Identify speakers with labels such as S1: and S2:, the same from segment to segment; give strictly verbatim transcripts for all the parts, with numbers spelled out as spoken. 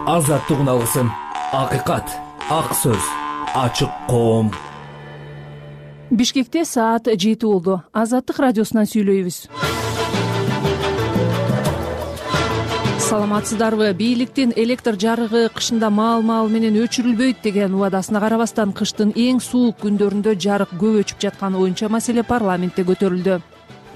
S1: азаттык үналысын, акыйкат, ак сөз, ачык коом.
S2: Бишкекте саат жети болду. Азаттык радиосунан сүйлөйбүз. Саламатсыздарбы? Бийликтин электр жарыгы кышында маал-маал менен өчүрүлбөйт деген убадасына карабастан кыштын эң суук күндөрүндө жарык көп өчүп жатканы боюнча маселе парламентте көтөрүлдү.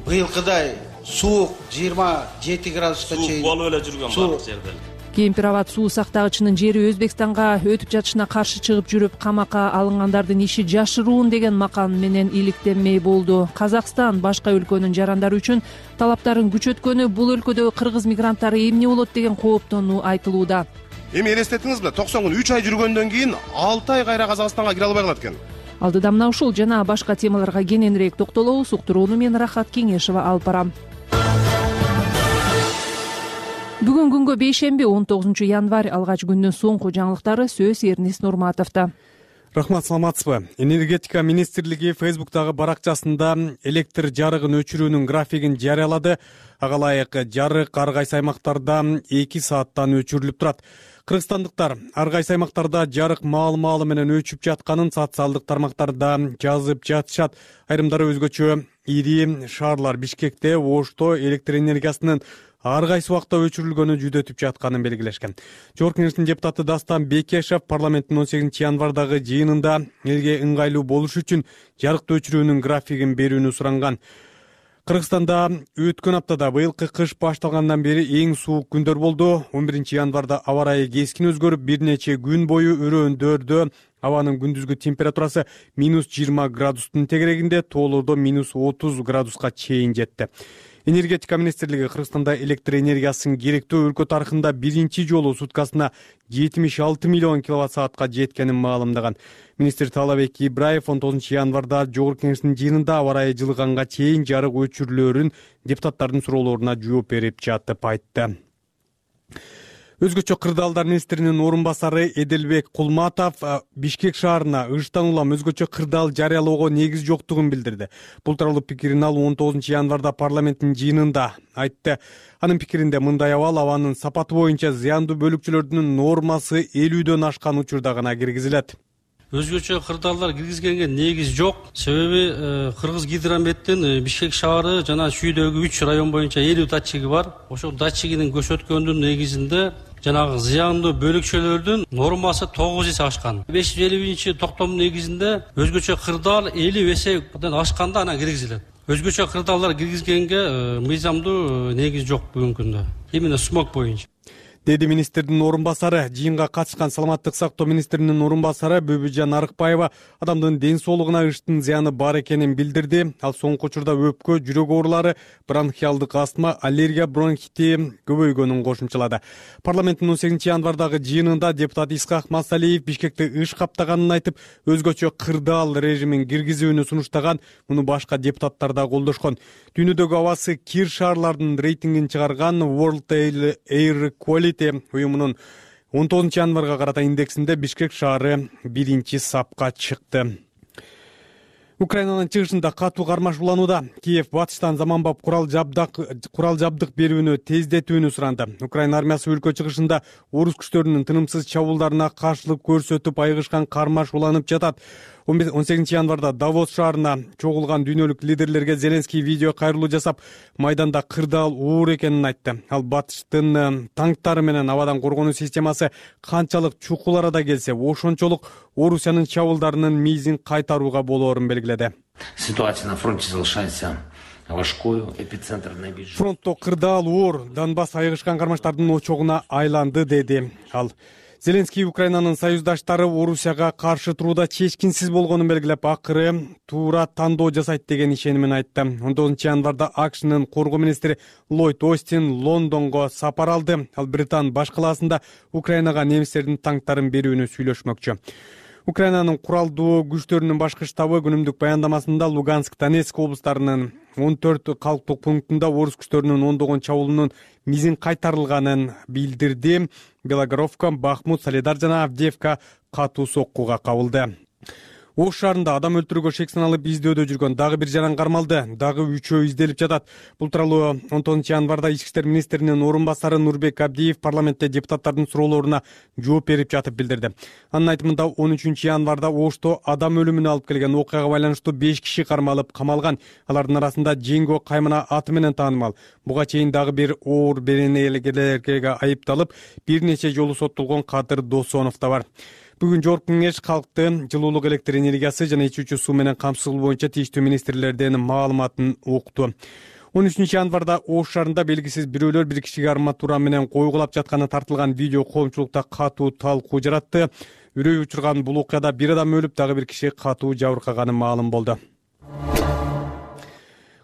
S3: Быйылкыдай суук жыйырма жети градуска чейин
S4: суук болуп эле жүргөн барлык жерде.
S2: Кемпир-абад суу сактагычынын жери Өзбекстанга өтүп жатышына каршы чыгып жүрүп, камакка алынгандардын иши жашыруун деген макан менен иликтенмей болду. Казакстан башка өлкөнүн жарандары үчүн талаптарын күчөткөнү бул өлкөдө кыргыз мигранттары эмне болот деген кооптонуу айтылууда.
S5: Эми элестеттиңиз беле, токсон күн үч ай жүргөндөн кийин алты ай кайра Казакстанга кире албай калат экен.
S2: Алдыда мына ушул жана башка темаларга кененирээк токтолобуз. Уктурууну мен Рахат Кеңешова алып барам. Бүгүн күнгө бейшемби он тогузунчу январь, алгач күндүн соңку жаңылыктары сөз Эрнис Нурматовдо.
S6: Рахмат, саламатсызбы? Энергетика министрлиги Фейсбуктагы баракчасында электр жарыгын өчүрүүнүн графигин жарыялады. Ага ылайык жарык ар кайсы аймактарда эки сааттан өчүрүлүп турат. Кыргызстандыктар ар кайсы аймактарда жарык маал-маалы менен өчүп жатканын социалдык тармактарда жазып жатышат. Айрымдары өзгөчө ири шаарлар Бишкекте, Ошто электр энергиясынын ар кайсы убакта өчүрүлгөнү жүдөтүп жатканын белгилешкен. Жогорку Кеңештин депутаты Дастан Бекешев парламенттин он сегизинчи январдагы жыйынында элге ыңгайлуу болуш үчүн жарыкты өчүрүүнүн графигин берүүнү суранган. Кыргызстанда өткөн аптада быйылкы кыш башталгандан бери эң суук күндөр болду. он биринчи январда аба ырайы кескин өзгөрүп, бир нече күн бою өрөөндөрдө абанын күндүзгү температурасы минус жыйырма градустун тегерегинде, тоолордо минус отуз градуска чейин жетти. Энергетика министрлиги Кыргызстанда электр энергиясын керектүү өлкө тарыхында биринчи жолу суткасына жетимиш алты миллион киловатт саатка жеткенин маалымдаган. Министр Таалабек Ибраев он тогузунчу январда Жогорку Кеңештин жыйынында аба ырайы жылыганга чейин жарык өчүрүлөөрүн депутаттардын суроолоруна жооп берип жатып айтты. Өзгөчө кырдаалдар министринин орун басары Эделбек Кулматов Бишкек шаарына ыштан улам өзгөчө кырдаал жарыялоого негиз жоктугун билдирди. Бул тууралуу пикирин ал он тогузунчу январда парламенттин жыйынында айтты. Анын пикиринде мындай абал абанын сапаты боюнча зыяндуу бөлүкчөлөрдүн нормасы элүүдөн ашкан учурда гана киргизилет.
S4: Өзгөчө кырдаалдар киргизгенге негиз жок. Себеби Кыргыз гидрометтин Бишкек шаары жана чүйдөгү үч район боюнча элүү датчиги бар. Ошол датчигинин көрсөткөнүнүн негизинде жанагы зыяндуу бөлүкчөлөрдүн нормасы тогуз эсе ашкан. беш жүз элүү биринчи токтомдун негизинде өзгөчө кырдаал элүү эседен ашканда анан киргизилет. Өзгөчө кырдаалдар киргизгенге мыйзамдуу негиз жок бүгүнкү күндө. Именно смог боюнча.
S6: Деди министрдин орун басары. Жыйынга катышкан саламаттык сактоо министринин орун басары Бөбүжан Арыкбаева адамдын ден соолугуна ыштын зыяны бар экенин билдирди. Ал соңку учурда өпкө, жүрөк оорулары, бронхиалдык астма, аллергия, бронхити көбөйгөнүн кошумчалады. Парламенттин он сегизинчи январдагы жыйынында депутат Исхак Масалиев Бишкекти ыш каптаганын айтып, өзгөчө кырдаал режимин киргизүүнү сунуштаган. Муну башка депутаттар да колдошкон. Дүйнөдөгү абасы кир шаарлардын рейтингин чыгарган World Air Quality уюмунун он тогузунчу январга карата индексинде Бишкек шаары биринчи сапка чыкты. Украинанын чыгышында катуу кармашууланууда. Киев батыштан заманбап курал жабдык курал жабдык берүүнү тездетүүнү суранды. Украина армиясы өлкө чыгышында орус күчтөрүнүн тынымсыз чабуулдарына каршылык көрсөтүп айыгышкан кармашууланып жатат. он сегизинчи январда Давос шаарына чогулган дүйнөлүк лидерлерге Зеленский видео кайрылуу жасап, майданда кырдаал оор экенин айтты. Ал батыштын танктары менен абадан коргонуу системасы канчалык чукул арада келсе, ошончолук Орусиянын чабуулдарынын мизин кайтарууга болоорун белгиледи.
S7: Ситуация на фронте залишается важкою, эпицентр найближний.
S6: Фронтто кырдаал оор, Донбасс айыгышкан кармаштардын очогуна айланды, деди ал. Зеленский Украинанын союздаштары Орусияга каршы турууда чечкинсиз болгонун белгилеп, акыры туура тандоо жасайт деген ишенимин айтты. он тогузунчу январда АКШнын коргоо министри Ллойд Остин Лондонго сапар алды. Ал Британ баш калаасында Украинага немистердин танктарын берүүнү сүйлөшмөкчү. Украинанын куралдуу күчтөрүнүн башкы штабы күнүмдүк баяндамасында Луганск, Донецк облустарынын он төрт калктык пунктунда орус күчтөрүнүн ондогон чабуулунун мизин кайтарылганын билдирди. Белогоровка, Бахмут, Солидар жана Авдеевка катуу соккуга кабылды. Ош шаарында адам өлтүрүүгө шек саналып издөөдө жүргөн дагы бир жаран кармалды. Дагы үчөө изделип жатат. Бул тууралуу он тогузунчу январда Ички иштер министринин орун басары Нурбек Абдиев парламентте депутаттардын суроолоруна жооп берип жатып билдирди. Анын айтымында он үчүнчү январда Ошто адам өлүмүнө алып келген окуяга байланыштуу беш киши кармалып камалган. Алардын арасында Жеңго Каймана аты менен таанымал. Буга чейин дагы бир оор беренелерге айыпталып, бир нече жолу соттолгон Кадыр Досонов да бар. Бүгүн жогорку кеңеш калкты жылуулук, электр энергиясы жана ичүүчү суу менен камсыздоо боюнча тийиштүү министрлердин маалыматын укту. он үчүнчү январда Ош шаарында белгисиз бирөөлөр бир кишиге арматура менен койгулап жатканы тартылган видео коомчулукта катуу талкуу жаратты. Үрөй учурган бул окуяда бир адам өлүп, дагы бир киши катуу жабыркаганы маалым болду.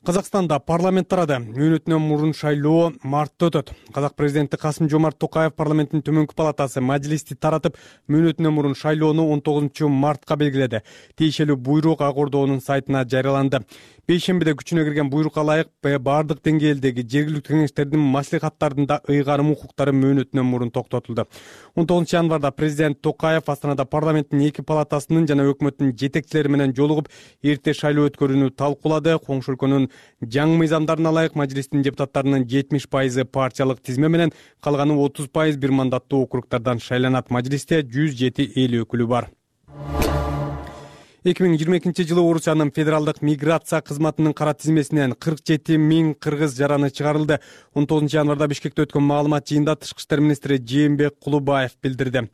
S6: Казакстанда парламент тарады. Мөөнөтүнөн мурун шайлоо мартта өтөт. Казак президенти Касым-Жомарт Токаев парламенттин төмөнкү палатасы мажилисти таратып, мөөнөтүнөн мурун шайлоону он тогузунчу мартка белгиледи. Тиешелүү буйрук Ак Ордонун сайтына жарыяланды. Бейшембиде күчүнө кирген буйрукка ылайык баардык деңгээлдеги жергиликтүү кеңештердин маслихаттарында ыйгарым укуктары мөөнөтүнөн мурун токтотулду. он тогузунчу январда президент Токаев Астанада парламенттин эки палатасынын жана өкмөттүн жетекчилери менен жолугуп, эрте шайлоо өткөрүүнү талкуулады. Коңшу өлкөнүн жаңы мыйзамдарына ылайык мажилистин депутаттарынын жетимиш пайызы партиялык тизме менен, калганы отуз пайыз бир мандаттуу округтардан шайланат. Мажилисте жүз жети эл өкүлү бар. эки миң жыйырма экинчи жылы Орусиянын федералдык миграция кызматынын кара тизмесинен кырк жети миң кыргыз жараны чыгарылды. он тогузунчу январда Бишкекте өткөн маалымат жыйынында Тышкы иштер министри Жээнбек Кулубаев билдирди.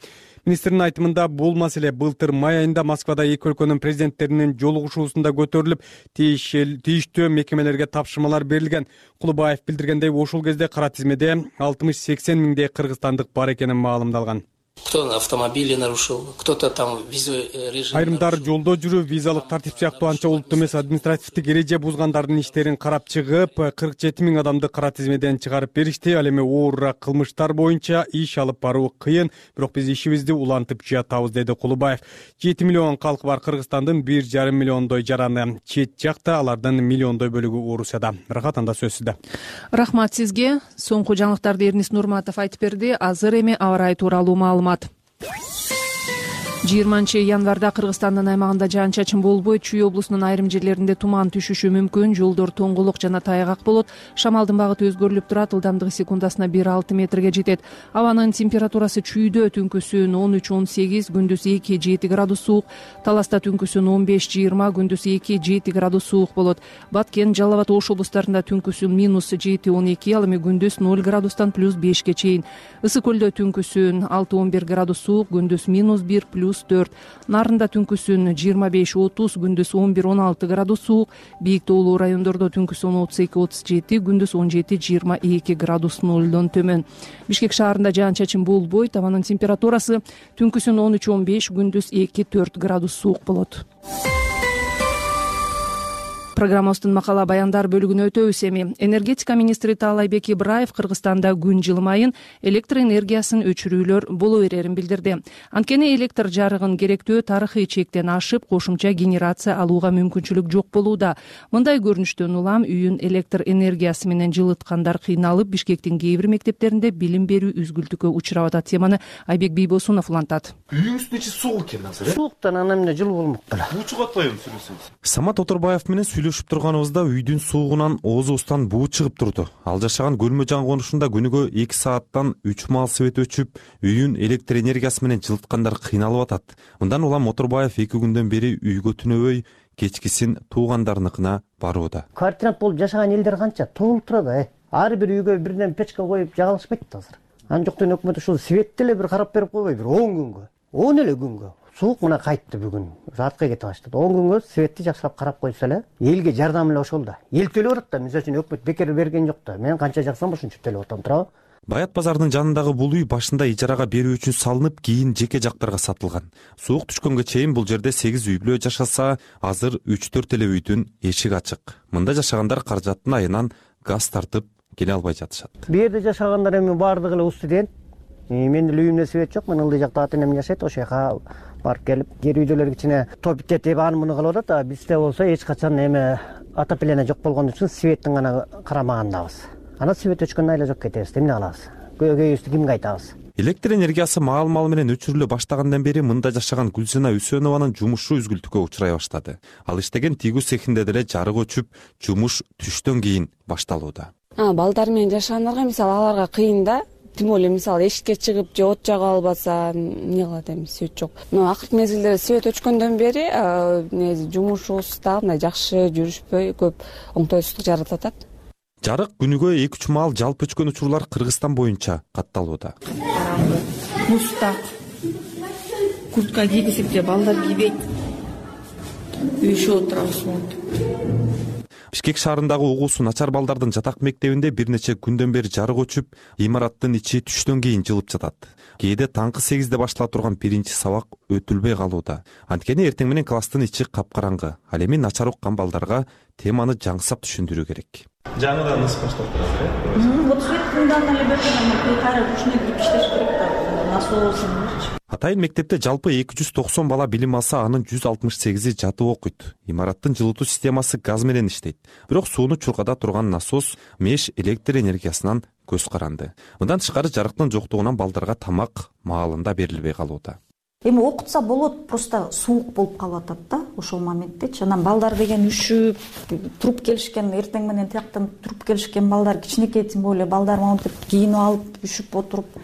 S6: Министрдин айтымында бул маселе былтыр май айында Москвада эки өлкөнүн президенттеринин жолугушуусунда көтөрүлүп, тийиштүү мекемелерге тапшырмалар берилген. Кулубаев билдиргендей, ошол кезде кара тизмеде алтымыш сексен миңдей кыргызстандык бар экенин маалымдалган.
S8: Кто автомобили нарушил, кто-то там визовый режим.
S6: Айрымдар жолдо жүрүү, визалык тартип сыяктуу анча улуттуу эмес административдик эреже бузгандардын иштерин карап чыгып, кырк жети миң адамды кара тизмеден чыгарып беришти. Ал эми оорураак кылмыштар боюнча иш алып баруу кыйын, бирок биз ишибизди улантып жатабыз, деди Кулубаев. жети миллион калкы бар Кыргызстандын бир жарым миллиондой жараны чет жакта, алардын миллиондой бөлүгү Орусияда. Рахат, анда сөз сизде.
S2: Рахмат сизге. Соңку жаңылыктарды Эрнис Нурматов айтып берди. Азыр эми аба ырайы тууралуу маалымат. жыйырманчы январда Кыргызстандын аймагында жаан-чачын болбойт. Чүй облусунун айрым жерлеринде туман түшүшү мүмкүн. Жолдор тоңголок жана тайгак болот. Шамалдын багыты өзгөрүлүп турат. Ылдамдыгы секундасына бир алты метрге жетет. Абанын температурасы чүйдө түнкүсүн он үч он сегиз, күндүз эки жети градус суук. Таласта түнкүсүн он беш жыйырма, күндүз эки жети градус суук болот. Баткен, Жалал Абад, Ош облустарында түнкүсүн минус жети он эки, ал эми күндүз ноль градустан плюс бешке чейин. Ысык көлдө түнкүсүн алты он бир градус суук, күндүз минус бир плюс төрт. Нарында түнкүсүн жыйырма беш отуз, күндүз он бир он алты градус суук. Бийик тоолуу райондордо түнкүсүн отуз эки отуз жети, күндүз он жети жыйырма эки градус нолдон төмөн. Бишкек шаарында жаан-чачын болбойт. Абанын температурасы түнкүсүн он үч он беш, күндүз эки төрт градус суук болот. Программабыздын макала баяндар бөлүгүнө өтөбүз эми. Энергетика министри Таалайбек Ибраев Кыргызстанда күн жылымайын электр энергиясын өчүрүүлөр боло берерин билдирди. Анткени электр жарыгын керектөө тарыхый чектен ашып, кошумча генерация алууга мүмкүнчүлүк жок болууда. Мындай көрүнүштөн улам үйүн электр энергиясы менен жылыткандар кыйналып, Бишкектин кээ бир мектептеринде билим берүү үзгүлтүккө учурап атат. Теманы Айбек Бийбосунов улантат.
S9: Үйүңүздүн ичи суук экен азыр, э?
S10: Сууктан ана эмне жылуу болмок кала.
S9: Буу чыгатпайбы сүрөсүңүз?
S11: Самат Оторбаев менен сүйлөшүп турганыбызда үйдүн суугунан оозубуздан буу чыгып турду. Ал жашаган Көлмө жан конушунда күнүгө эки сааттан үч маал свет өчүп, үйүн электр энергиясы менен жылыткандар кыйналып атат. Мындан улам Оторбаев эки күндөн бери үйгө түнөбөй, кечкисин туугандарыныкына барууда.
S10: Координат болуп жашаган элдер канча толуп турат, э. Ар бир үйгө бирден печка коюп жагалышпайт азыр. Анжоктон өкмөт ушул светти эле бир карап берип койбой, бир он күнгө, он эле күнгө. Суук мына кайтты бүгүн. Заткы кете баштады. он күнгө светти жакшылап карап койсо эле, элге жардам эле ошол да. Эл төлөп атат да, мисалы үчүн өкмөт бекер берген жок да. Мен канча жаксам ошончо төлөп атам, туурабы?
S11: Баят базарынын жанындагы бул үй башында ижарага берүү үчүн салынып, кийин жеке жактарга сатылган. Суук түшкөнгө чейин бул жерде сегиз үй бүлө жашаса, азыр үч төрт эле үйдүн эшиги ачык. Мында жашагандар каражаттын айынан газ тартып келе албай жатышат.
S10: Бу жерде жашагандар эми баардыгы эле студент. Менин үйүмдө свет жок, мен ылдый жакта ата энем жашайт, ошол жака барып келип, жер үйдөлөр кичине топить этип аны муну кылып атат. А бизде болсо эч качан эме отопление жок болгон үчүн светтин гана карамагандабыз. Ана свет өчкөндөн айла жок кетебиз, эмне кылабыз? көйгөйүбүздү кимге айтабыз?
S11: Электр энергиясы маал-маал менен өчүрүлө баштагандан бери мында жашаган Гүлсина Үсөнованын жумушу үзгүлтүккө учурай баштады. Ал иштеген тигүү цехинде деле жарык өчүп, жумуш түштөн кийин башталууда.
S12: Балдар менен жашагандарга мисалы аларга кыйын да. Тим более мисалы эшикке чыгып же от жага албаса эмне кылат эми, свет жок. Но акыркы мезгилде свет өчкөндөн бери жумушубуз дагы мындай жакшы жүрүшпөй, көп оңтойсуздук жаратып атат.
S11: Жарык күнүгө эки үч маал жалпы өчкөн учурлар Кыргызстан боюнча катталууда.
S13: Мустак, куртка кийгизип же балдар кийбейт. Үйшүп отурабыз монтип.
S11: Бишкек шаарындагы угуусу начар балдардын жатак мектебинде бир нече күндөн бери жарык өчүп, имараттын ичи түштөн кийин жылып жатат. Кээде таңкы сегизде баштала турган биринчи сабак өтүлбөй калууда. Анткени эртең менен класстын ичи капкараңгы. Ал эми начар уккан балдарга теманы жаңсап түшүндүрүү керек.
S9: Жаңыдан ыс баштап турасыз э?
S13: Вот свет мындан эле берген, кайра күчүнө кирип иштеш керек да. Насоосун.
S11: Атайын мектепте жалпы эки жүз токсон бала билим алса, анын жүз алтымыш сегизи жатып окуйт. Имараттын жылытуу системасы газ менен иштейт. Бирок сууну чуркада турган насос меш электр энергиясынан көз каранды. Мындан тышкары жарыктын жоктугунан балдарга тамак маалында берилбей калууда.
S14: Эми окутса болот, просто суук болуп калып атат да ошол моментте. Анан балдар деген үшүп, туруп келишкен, эртең менен тияктан туруп келишкен балдар, кичинекей тем более балдар монтип кийинип алып, үшүп отуруп,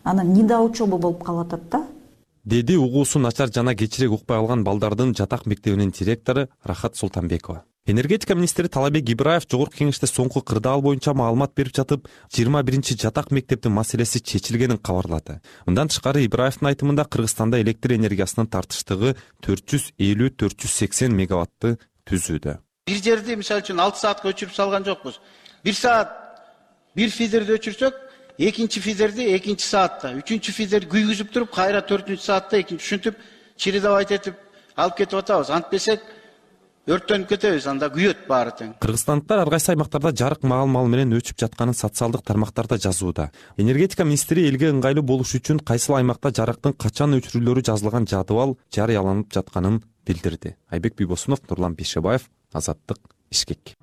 S14: анан нида учебы болуп калып атат да.
S11: Деди угуусу начар жана кечирээк укпай калган балдардын жатак мектебинин директору Рахат Султанбекова. Энергетика министри Талабек Ибраев жогорку кеңеште соңку кырдаал боюнча маалымат берип жатып, жыйырма биринчи жатак мектептин маселеси чечилгенин кабарлады. Мындан тышкары Ибраевдин айтымында Кыргызстанда электр энергиясынын тартыштыгы төрт жүз элүү — төрт жүз сексен мегаватты түзүүдө.
S3: Бир жерди мисалы үчүн алты саатка өчүрүп салган жокпуз. Бир саат бир фидерди өчүрсөк, экинчи фидерди экинчи саатта, үчүнчү фидерди күйгүзүп туруп, кайра төртүнчү саатта экинчи ушинтип чередовать этип алып кетип атабыз. Антпесек өрттөнүп кетебиз, анда күйөт баары тең.
S11: Кыргызстандыктар ар кайсы аймактарда жарык маал-маал менен өчүп жатканын социалдык тармактарда жазууда. Энергетика министри элге ыңгайлуу болуш үчүн кайсыл аймакта жарыктын качан өчүрүлөрү жазылган жадыбал жарыяланып жатканын билдирди. Айбек Бийбосунов, Нурлан Бейшебаев, Азаттык, Бишкек.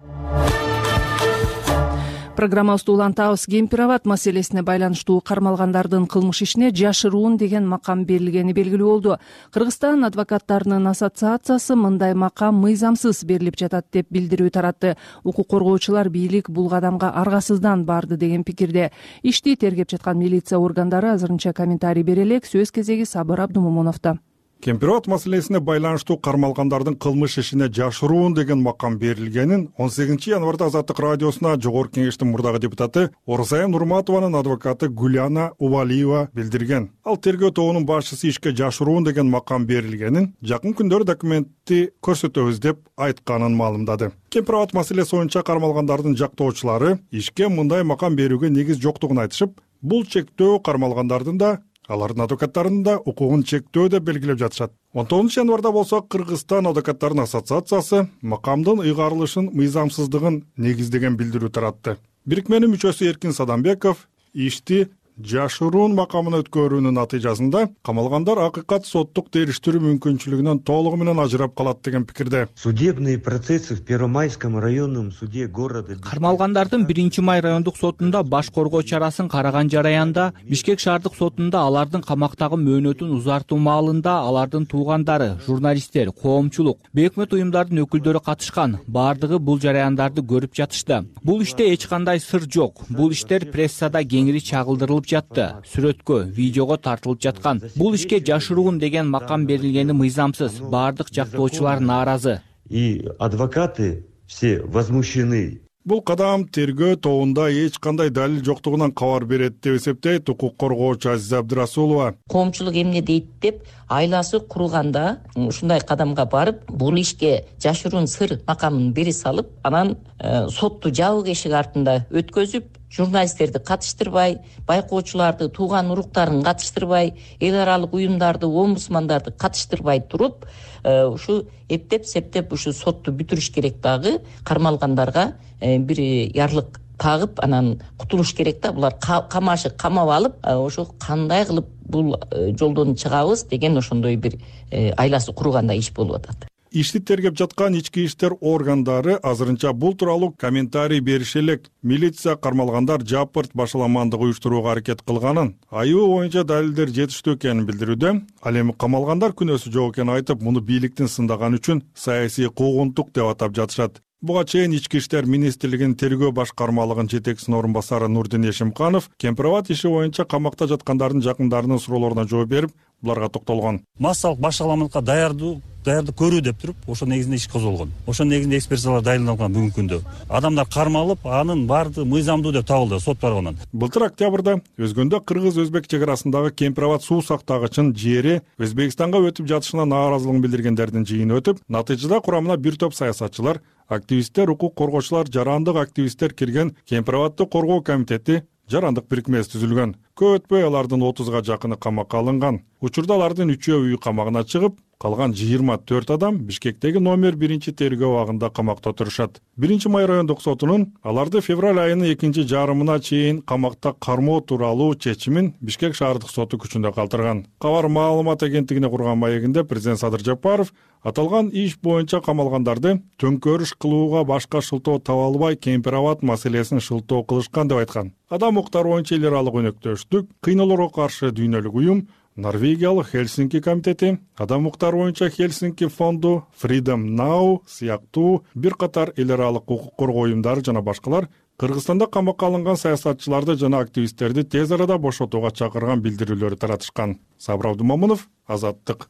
S2: Программабызды улантабыз. Кемпир-абад маселесине байланыштуу кармалгандардын кылмыш ишине жашыруун деген макам берилгени белгилүү болду. Кыргызстан адвокаттарынын ассоциациясы мындай макам мыйзамсыз берилип жатат деп билдирүү таратты. Укук коргоочулар бийлик бул кадамга аргасыздан барды деген пикирде. Ишти тергеп жаткан милиция органдары азырынча комментарий бере элек. Сөз кезеги Сабыр Абдумомуновдо.
S15: Кемпир-абад маселесине байланыштуу кармалгандардын кылмыш ишине жашыруун деген макам берилгенин он сегизинчи январда Азаттык радиосуна жогорку кеңештин мурдагы депутаты Орусайым Нурматованын адвокаты Гуляна Убалиева билдирген. Ал тергөө тобунун башчысы ишке жашыруун деген макам берилгенин жакын күндөрү документти көрсөтөбүз деп айтканын маалымдады. Кемпир-абад маселеси боюнча кармалгандардын жактоочулары ишке мындай макам берүүгө негиз жоктугун айтышып, бул чектөө кармалгандардын да алардын адвокаттарынын да укугун чектөө деп белгилеп жатышат. он тогузунчу январда болсо Кыргызстан адвокаттарынын ассоциациясы макамдын ыйгарылышын мыйзамсыздыгын негиздеген билдирүү таратты. Бирикменин мүчөсү Эркин Садамбеков ишти жашыруун макамына өткөрүүнүн натыйжасында камалгандар акыйкат соттук териштирүү мүмкүнчүлүгүнөн толугу менен ажырап калат деген пикирде.
S16: Судебные процессы в Первомайском районном суде города
S17: Кармалгандардын биринчи май райондук сотунда баш коргоо чарасын караган жараянда, Бишкек шаардык сотунда алардын камактагы мөөнөтүн узартуу маалында алардын туугандары, журналисттер, коомчулук, бейөкмөт уюмдардын өкүлдөрү катышкан. Баардыгы бул жараяндарды көрүп жатышты. Бул иште эч кандай сыр жок. Бул иштер прессада кеңири чагылдырылып жатты. Сүрөткө, видеого тартылып жаткан. Бул ишке жашыруун деген макам берилгени мыйзамсыз. Баардык жактоочулар нааразы.
S16: И адвокаты все возмущены.
S15: Бул кадам тергөө тобунда эч кандай далил жоктугунан кабар берет деп эсептейт укук коргоочу Азиза Абдырасулова.
S18: Коомчулук эмне дейт деп айласы курулганда ушундай кадамга барып, бул ишке жашыруун сыр макамын бере салып, анан э, сотту жабык эшик артында өткөзүп, журналисттерди катыштырбай, байкоочуларды, тууган уруктарын катыштырбай, эл аралык уюмдарды, омбудсмандарды катыштырбай туруп, ушу эптеп септеп ушу сотту бүтүрүш керек дагы, кармалгандарга бир ярлык тагып, анан кутулуш керек да. Булар камашып, камап алып, ошо кандай кылып бул жолдон чыгабыз деген ошондой бир айласы кургандай иш болуп атат.
S15: Ишти тергеп жаткан ички иштер органдары азырынча бул тууралуу комментарий берише элек. Милиция кармалгандар жапырт башаламандык уюштурууга аракет кылганын, айыбы боюнча далилдер жетиштүү экенин билдирүүдө. Ал эми камалгандар күнөөсү жок экенин айтып, муну бийликтин сындаганы үчүн саясий куугунтук деп атап жатышат. Буга чейин ички иштер министрлигинин тергөө башкармалыгынын жетекчисинин орун басары Нурдин Эшимканов Кемпирабад иши боюнча камакта жаткандардын жакындарынын суроолоруна жооп берип, буларга токтолгон.
S19: Массалык башаламандыкка даярдуу даярдык көрүү деп туруп, ошо негизинде иш козголгон. Ошо негизинде экспертизалар дайындалган бүгүнкү күндө. Адамдар кармалып, анын баардыгы мыйзамдуу деп табылды сот тарабынан.
S15: Былтыр октябрда өзгөндө кыргыз-өзбек чек арасындагы Кемпирабад суу сактагычынын жери Өзбекстанга өтүп жатышына нааразылыгын билдиргендердин жыйыны өтүп, натыйжада курамына бир топ саясатчылар, активисттер, укук коргоочулар, жарандык активисттер кирген Кемпирабадды коргоо комитети жарандык бирикмеси түзүлгөн. Көп өтпөй алардын отузга жакыны камакка алынган. Учурда алардын үчөө үй камагына чыгып, калган жыйырма төрт адам Бишкектеги номер биринчи тергөө абагында камакта отурушат. биринчи май райондук сотунун аларды февраль айынын экинчи жарымына чейин камакта кармоо тууралуу чечимин Бишкек шаардык соту күчүндө калтырган. Кабар маалымат агенттигине курган маегинде президент Садыр Жапаров аталган иш боюнча камалгандарды төңкөрүш кылууга башка шылтоо таба албай Кемпирабад маселесин шылтоо кылышкан деп айткан. Адам укуктары боюнча эл аралык өнөктөштүк, кыйноолорго каршы дүйнөлүк уюм, Норвегиялык Хельсинки комитети, адам укуктары боюнча Хельсинки фонду, Freedom Now сыяктуу бир катар эл аралык укук коргоо уюмдары жана башкалар Кыргызстанда камакка алынган саясатчыларды жана активисттерди тез арада бошотууга чакырган билдирүүлөрү таратышкан. Сабыр Абдумамунов, Азаттык.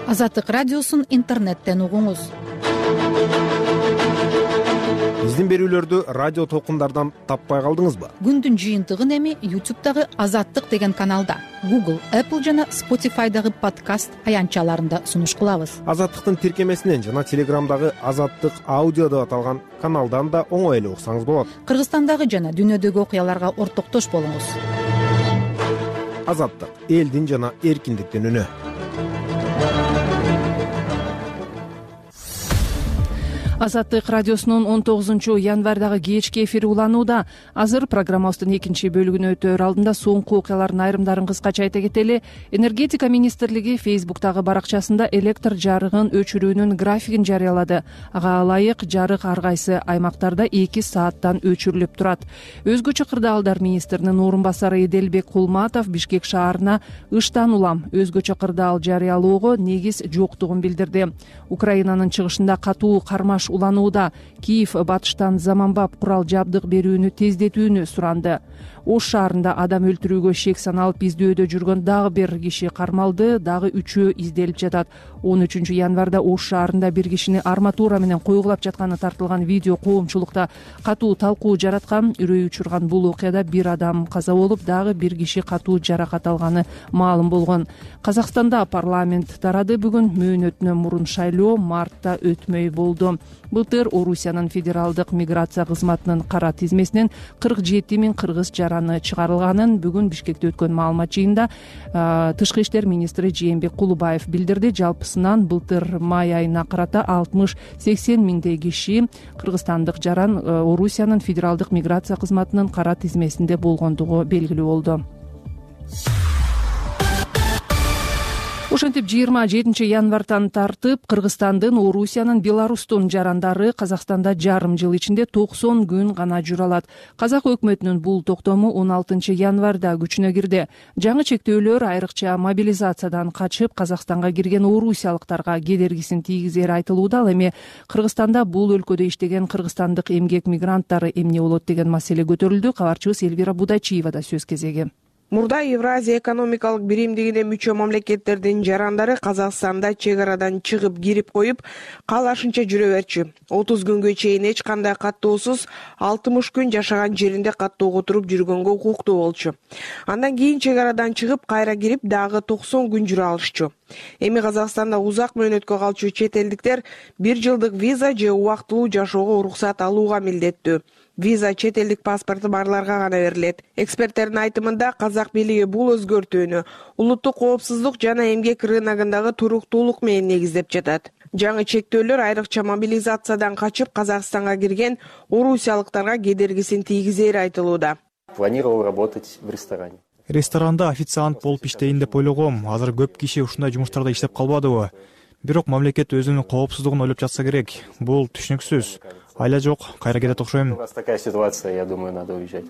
S20: Азаттык радиосун интернеттен угуңуз.
S5: Биздин берүүлөрдү радио толкундардан таппай калдыңызбы?
S20: Күндүн жыйынтыгын эми YouTube'дагы Азаттык деген каналда, Google, Apple жана Spotify'дагы подкаст аянтчаларында сунуш кылабыз.
S5: Азаттыктын тиркемесинен жана Телеграмдагы Азаттык аудио деп аталган каналдан да оңой эле уксаңыз болот.
S20: Кыргызстандагы жана дүйнөдөгү окуяларга ортоктош болуңуз.
S5: Азаттык — элдин жана эркиндиктин үнү.
S2: Азаттык радиосунун он тогузунчу январдагы кечки эфири уланууда. Азыр программабыздын экинчи бөлүгүнө өтөр алдында соңку окуялардын айрымдарын кыскача айта кетели. Энергетика министрлиги Фейсбуктагы баракчасында электр жарыгын өчүрүүнүн графигин жарыялады. Ага ылайык жарык ар кайсы аймактарда эки сааттан өчүрүлүп турат. Өзгөчө кырдаалдар министринин орун басары Эделбек Кулматов Бишкек шаарына ыштан улам өзгөчө кырдаал жарыялоого негиз жоктугун билдирди. Украинанын чыгышында катуу кармаш уланууда. Киев батыштан заманбап курал жабдык берүүнү тездетүүнү суранды. Ош шаарында адам өлтүрүүгө шек саналып издөөдө жүргөн дагы бир киши кармалды, дагы үчөө изделип жатат. он үчүнчү январда Ош шаарында бир кишини арматура менен койгулап жатканы тартылган видео коомчулукта катуу талкуу жараткан. Үрөй учурган бул окуяда бир адам каза болуп, дагы бир киши катуу жаракат алганы маалым болгон. Казакстанда парламент тарады. Бүгүн мөөнөтүнөн мурун шайлоо мартта өтмөй болду. Былтыр Орусиянын федералдык миграция кызматынын кара тизмесинен кырк жети миң кыргыз жараны чыгарылганын бүгүн Бишкекте өткөн маалымат жыйынында тышкы иштер министри Жээнбек Кулубаев билдирди. Жалпысынан былтыр май айына карата алтымыш сексен миңдей киши кыргызстандык жаран Орусиянын федералдык миграция кызматынын кара тизмесинде болгондугу белгилүү болду. Ошентип жыйырма жетинчи январдан тартып Кыргызстандын, Орусиянын, Беларустун жарандары Казакстанда жарым жыл ичинде токсон күн гана жүрө алат. Казак өкмөтүнүн бул токтому он алтынчы январда күчүнө кирди. Жаңы чектөөлөр айрыкча мобилизациядан качып Казакстанга кирген орусиялыктарга кедергисин тийгизери айтылууда. Ал эми Кыргызстанда бул өлкөдө иштеген кыргызстандык эмгек мигранттары эмне болот деген маселе көтөрүлдү. Кабарчыбыз Элвира Будайчиева да сөз кезеги.
S21: Мурда Евразия экономикалык биримдигине мүчө мамлекеттердин жарандары Казакстанда чек арадан чыгып кирип коюп, каалашынча жүрө берчү. отуз күнгө чейин эч кандай каттоосуз алтымыш күн жашаган жеринде каттоого туруп жүргөнгө укуктуу болчу. Андан кийин чек арадан чыгып кайра кирип дагы токсон күн жүрө алышчу. Эми Казакстанда узак мөөнөткө калчу чет элдиктер бир жылдык виза же убактылуу жашоого уруксат алууга милдеттүү. Виза чет элдик паспорту барларга гана берилет. Эксперттердин айтымында казак бийлиги бул өзгөртүүнү улуттук коопсуздук жана эмгек рыногундагы туруктуулук менен негиздеп жатат. Жаңы чектөөлөр айрыкча мобилизациядан качып Казакстанга кирген орусиялыктарга кедергисин тийгизери айтылууда.
S9: Планировал работать в ресторане.
S1: ресторанда официант болуп иштейин деп ойлогом. Азыр көп киши ушундай жумуштарда иштеп калбадыбы? Бирок мамлекет өзүнүн коопсуздугун ойлоп жатса керек. Бул түшүнүксүз. Айла жок, кайра кетет окшойм.
S9: Такая ситуация, я думаю, надо уезжать.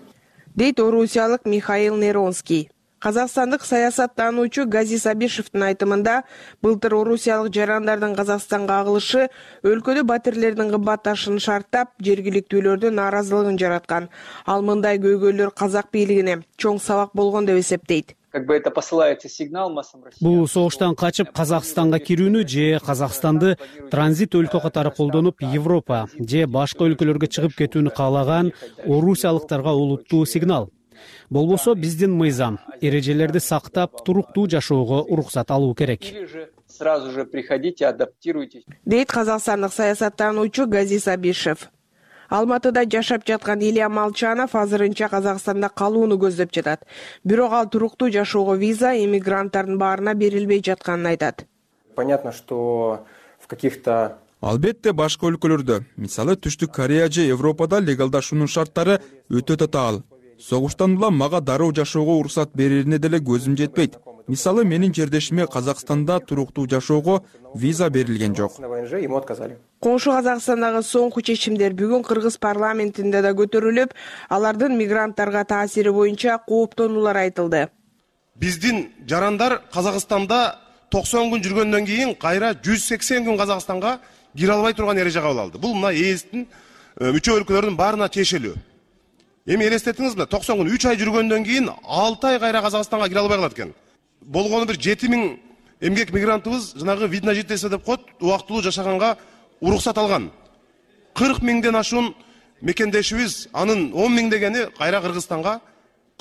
S21: Дейт орусиялык Михаил Неронский. Казакстандык саясаттануучу Газиз Абишевдин айтымында былтыр орусиялык жарандардын Казакстанга агылышы өлкөдө батирлердин кымбатташын шарттап, жергиликтүүлөрдүн нааразылыгын жараткан. Ал мындай көйгөйлөр казак бийлигине чоң сабак болгон деп эсептейт.
S22: Как бы это посылает сигнал массам россиян.
S23: Бул согуштан качып Казакстанга кирүүнү же Казакстанды транзит өлкө катары колдонуп Европа же башка өлкөлөргө чыгып кетүүнү каалаган орусиялыктарга улуттуу сигнал. Болбосо биздин мыйзам эрежелерди сактап, туруктуу жашоого уруксат алуу керек.
S22: Сразу же приходите, адаптируйтесь.
S21: Дейт казакстандык саясаттануучу Газиз Абишев. Алматыда жашап жаткан Илья Молчанов азырынча Казакстанда калууну көздөп жатат. Бирок ал туруктуу жашоого виза эмигранттардын баарына берилбей жатканын айтат.
S9: Понятно, что в каких-то
S24: Албетте башка өлкөлөрдө, мисалы Түштүк Корея же Европада легалдашуунун шарттары өтө татаал. Согуштан улам мага дароо жашоого уруксат берерине деле көзүм жетпейт. Мисалы менин жердешиме Казакстанда туруктуу жашоого виза берилген жок.
S21: Коңшу Казакстандагы соңку чечимдер бүгүн Кыргыз парламентинде да көтөрүлүп, алардын мигранттарга таасири боюнча кооптонуулар айтылды.
S25: Биздин жарандар Казакстанда токсон күн жүргөндөн кийин кайра жүз сексен күн Казакстанга кире албай турган эреже кабыл алды. Бул мына ээстин мүчө өлкөлөрдүн баарына тиешелүү. Эми элестетиңизби, токсон күн үч ай жүргөндөн кийин алты ай кайра Казакстанга кире албай калат экен. Болгону бир жети миң эмгек мигрантыбыз жанагы вид на жительство деп коет, убактылуу жашаганга уруксат алган. кырк миңден ашуун мекендешибиз, анын он миң дегени кайра Кыргызстанга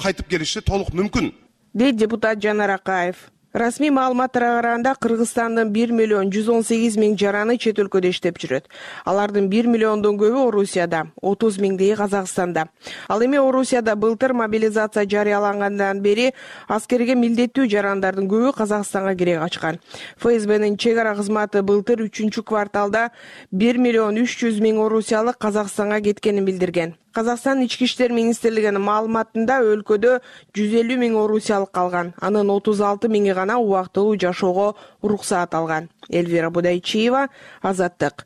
S25: кайтып келиши толук мүмкүн.
S21: Дейт депутат Жанар Акаев. Расмий маалыматтарга караганда Кыргызстандын бир миллион жүз он сегиз миң жараны чет өлкөдө иштеп жүрөт. Алардын бир миллиондон көбү Орусияда, отуз миңдеги Казакстанда. Ал эми Орусияда былтыр мобилизация жарыялангандан бери аскерге милдеттүү жарандардын көбү Казакстанга кире качкан. ФСБнин чек ара кызматы былтыр үчүнчү кварталда бир миллион үч жүз миң орусиялык Казакстанга кеткенин билдирген. Казакстан ички иштер министрлигинин маалыматында өлкөдө жүз элүү миң орусиялык калган. Анын отуз алты миңи гана убактылуу жашоого уруксаат алган. Эльвира Будайчиева, Азаттык.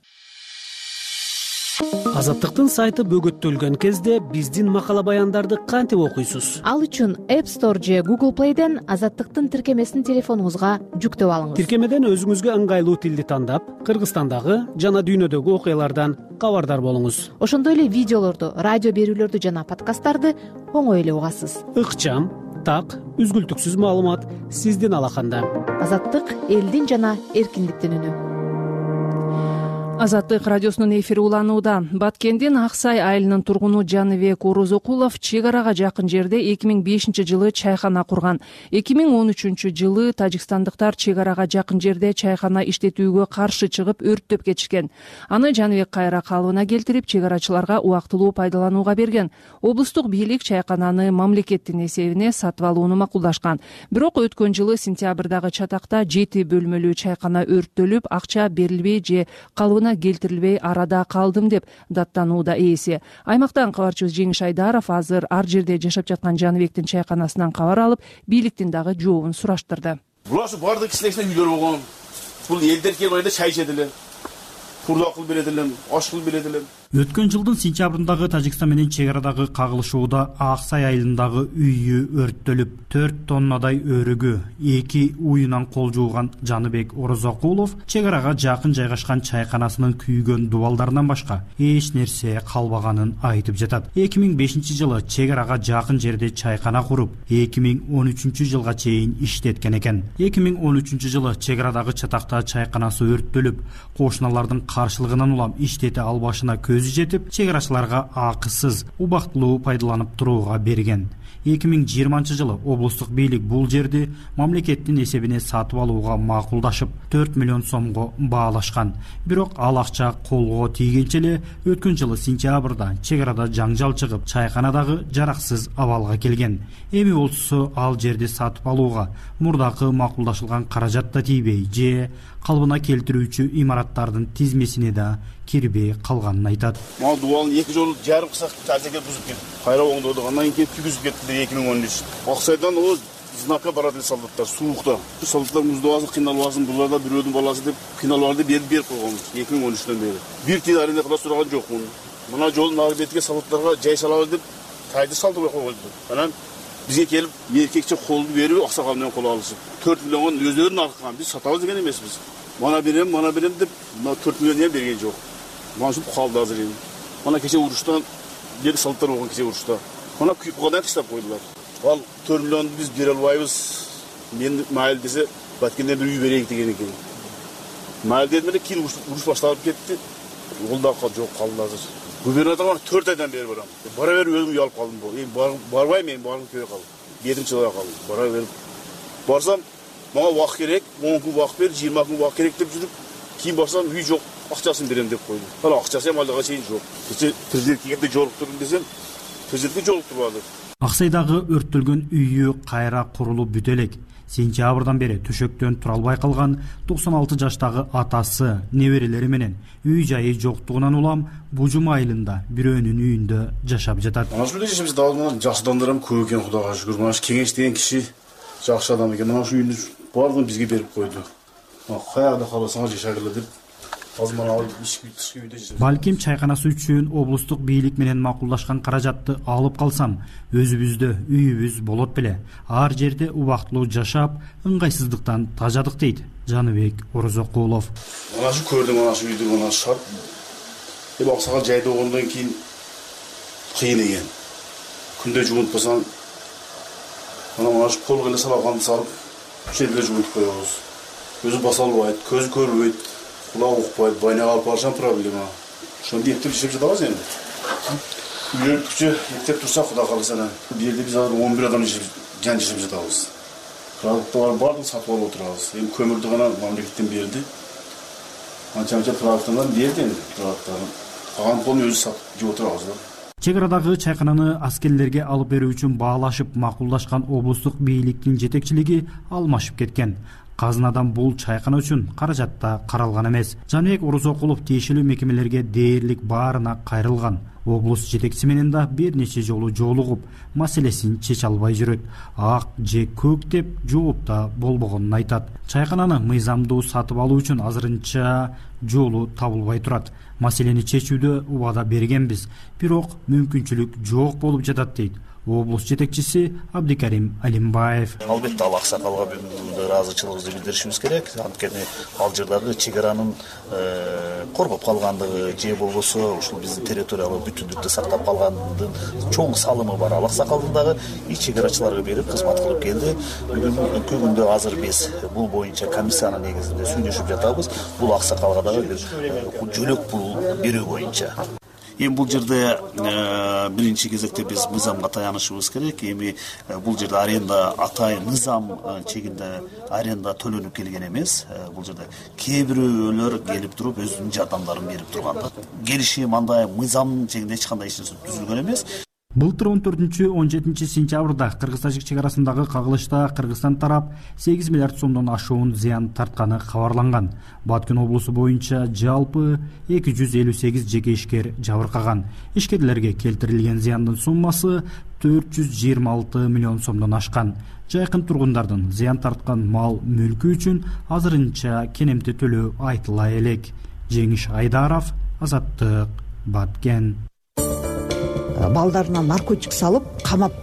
S23: Азаттыктын сайты бөгөттөлгөн кезде биздин макала баяндарды кантип окуйсуз?
S26: Ал үчүн App Store же Google Play'ден Азаттыктын тиркемесин телефонуңузга жүктөп алыңыз.
S23: Тиркемеден өзүңүзгө ыңгайлуу тилди тандап, Кыргызстандагы жана дүйнөдөгү окуялардан кабардар болуңуз.
S26: Ошондой эле видеолорду, радио берүүлөрдү жана подкасттарды оңой эле угасыз.
S23: Ыкчам, так, үзгүлтүксүз маалымат сиздин алаканда.
S26: Азаттык элдин жана эркиндиктин үнү.
S2: Азаттык радиосунун эфири уланууда. Баткендин Аксай айылынын тургуну Жаныбек Орозокулов чек арага жакын жерде эки миң бешинчи жылы чайкана курган. эки миң он үчүнчү жылы тажикстандыктар чек арага жакын жерде чайкана иштетүүгө каршы чыгып өрттөп кетишкен. Аны Жаныбек кайра калыбына келтирип, чек арачыларга убактылуу пайдаланууга берген. Облустук бийлик чайкананы мамлекеттин эсебине сатып алууну макулдашкан. Бирок өткөн жылы сентябрдагы чатакта жети бөлмөлүү чайкана өрттөлүп, акча берилбей же калыбына келтирилбей арада калдым деп даттанууда ээси. Аймактан кабарчыбыз Жеңиш Айдаров азыр ар жерде жашап жаткан Жаныбектин чайканасынан кабар алып, бийликтин дагы жообун сураштырды.
S27: Булар ушу бардык кишилердин үйлөрү болгон. Бул элдер келип айда чай ичет эле. Турдак кылып берет элем, аш кылып берет элем.
S28: Өткөн жылдын сентябрындагы Тажикстан менен чек арадагы кагылышууда Аксай айылындагы үйү өрттөлүп, төрт тоннадай өрүгү, эки уюнан кол жууган Жаныбек Орозокулов чек арага жакын жайгашкан чайканасынын күйгөн дубалдарынан башка эч нерсе калбаганын айтып жатат. эки миң бешинчи жылы чек арага жакын жерде чайкана куруп, эки миң он үчүнчү жылга чейин иштеткен экен. эки миң он үчүнчү жылы чек арадагы чатакта чайканасы өрттөлүп, кошуналардын каршылыгынан улам иштете албашына көзү жетип, чек арачыларга акысыз, убактылуу пайдаланып турууга берген. эки миң жыйырманчы жылы облустук бийлик бул жерди мамлекеттин эсебине сатып алууга макулдашып, төрт миллион сомго баалашкан. Бирок ал акча колго тийгенче эле өткөн жылы сентябрда чек арада жаңжал чыгып, чайканадагы жараксыз абалга келген. Эми болсо ал жерди сатып алууга мурдакы макулдашылган каражат да тийбей же калыбына келтирүүчү имараттардын тизмесине да кирбей калганын айтат.
S23: айтат.
S27: Мага дубалын эки жолу жарым кысак тазеге бузуп кетти. Кайра оңдодук. Андан кийин күйгүзүп кетти эки миң он үч. Аксайдан о знака барат эле солдаттар суукта. Солдаттар муздабасын, кыйналбасын, булар да бирөөдүн баласы деп кыйналбарды берип берип койгонбуз эки миң он үчтөн бери. Бир тиен аренда кыла сураган жокмун. Мына жолдун ары бетиге солдаттарга жай салабыз деп тайды салдырбай койгонбуз. Анан бизге келип эркекче колду берип, аксакал менен кол алышып, төрт миллион өздөрүнүн арткан биз сатабыз деген эмеспиз. Мана берем, мана берем деп төрт миллион эм берген жок. Мана ушуп калды азыр эми. Мана кече уруштан бери солдаттар болгон кече урушта. Мана күйкугадан таштап койдулар. Ал төрт миллионду биз бере албайбыз. Мен майыл десе, баткенден бир үй берейик деген экен. Майыл дедим эле кийин уруш башталып кетти. Ол да жок калды азыр. Губернаторга төрт айдан бери барам. Бара берип өзүм уялып калдым бул. Эми барбайм, мен баргым келбей калды. Бетим чыгып калды. Бара берип барсам, мага убак керек, он күн убак бер, жыйырма күн убак керек деп жүрүп, кийин барсам үй жок, акчасын берем деп койду. Ала акчасы эми алга чейин жок. Кече президентке келип жолуктурдум десем, президентке жолуктурбады.
S28: Аксайдагы өрттөлгөн үйү кайра курулуп бүтө элек. Сентябрдан бери төшөктөн тура албай калган токсон алты жаштагы атасы, неберелери менен үй жайы жоктугунан улам Бужум айылында бирөөнүн үйүндө жашап жатат.
S27: Ana şu bize biz dağılmalar жакшы адамдарым көп экен, Кудайга шүгүр. Мына Кеңеш деген киши жакшы адам экен. Мына şu үйүндү бардыгын бизге берип койду. Каякта каласаңар жашагыла деп. Азыр мына ишки тышкы үйдө жашайт.
S28: Балким чайканасы үчүн облустук бийлик менен макулдашкан каражатты алып калсам, өзүбүздө үйүбүз болот беле. Ар жерде убактылуу жашап, ыңгайсыздыктан тажадык дейт Жаныбек Орозокулов.
S27: Мына şu көрдүм, мына şu үйдү, мына шарт. Эми аксакал жайда болгондон кийин кыйын экен. Күндө жуунтпасаң, мына мына şu колго эле салганды салып, жерде жуунтуп коебуз. Өзү баса албайт, көзү көрбөйт. Кулак укпайт, байнага алып барышан проблема. Ошондо эптеп жашап жатабыз эми. Үйрөнүп күчө эптеп турса Кудай кааласа, бу жерде биз азыр он бир адам жан жашап жатабыз. Продукттар бардыгын сатып алып отурабыз. Эми көмүрдү гана мамлекеттен берди. Анча-мынча продукттардан берди эми продукттарын. Калган полун өзү сатып жеп отурабыз да.
S28: Чек арадагы чайкананы аскерлерге алып берүү үчүн баалашып макулдашкан облустук бийликтин жетекчилиги алмашып кеткен. Казынадан бул чайкана үчүн каражатта каралган эмес. Жаныбек Орозокулов тиешелүү мекемелерге дээрлик баарына кайрылган. Облус жетекчиси менен да бир нече жолу жолугуп, маселесин чече албай жүрөт. Ак же көк деп жооп да болбогонун айтат. Чайкананы мыйзамдуу сатып алуу үчүн азырынча жолу табылбай турат. Маселени чечүүдө убада бергенбиз, бирок мүмкүнчүлүк жок болуп жатат дейт облус жетекчиси Абдикарим Алимбаев.
S4: Албетте ал аксакалга ыраазычылыгыбызды билдиришибиз керек. Анткени ал жердагы чек аранын коргоп калгандыгы же болбосо ушул биздин территориялык бүтүндүктү сактап калгандын чоң салымы бар. Ал аксакалдын дагы ич чек арачыларга берип кызмат кылып келди. Бүгүнкү күндө азыр биз бул боюнча комиссиянын негизинде сүйлөшүп жатабыз. Бул аксакалга дагы бир жөлөк пул берүү боюнча. Эми бул жерде биринчи кезекте биз мыйзамга таянышыбыз керек. Эми бул жерде аренда атайын мыйзам чегинде аренда төлөнүп келген эмес. Бул жерде кээ бирөөлөр келип туруп өзүнүн жардамдарын берип турган. Келишим андай мыйзам чегинде эч кандай иш нерсе түзүлгөн эмес.
S28: Былтыр он төртүнчү он жетинчи сентябрда Кыргыз-Тажик чек арасындагы кагылышта Кыргызстан тарап сегиз миллиард сомдон ашуун зыян тартканы кабарланган. Баткен облусу боюнча жалпы эки жүз элүү сегиз жеке ишкер жабыркаган. Ишкерлерге келтирилген зыяндын суммасы төрт жүз жыйырма алты миллион сомдон ашкан. Жайкын тургундардын зыян тарткан мал мүлкү үчүн азырынча кенемте төлөө айтыла элек. Жеңиш Айдаров, Азаттык, Баткен.
S6: Балдарына наркотик салып, камап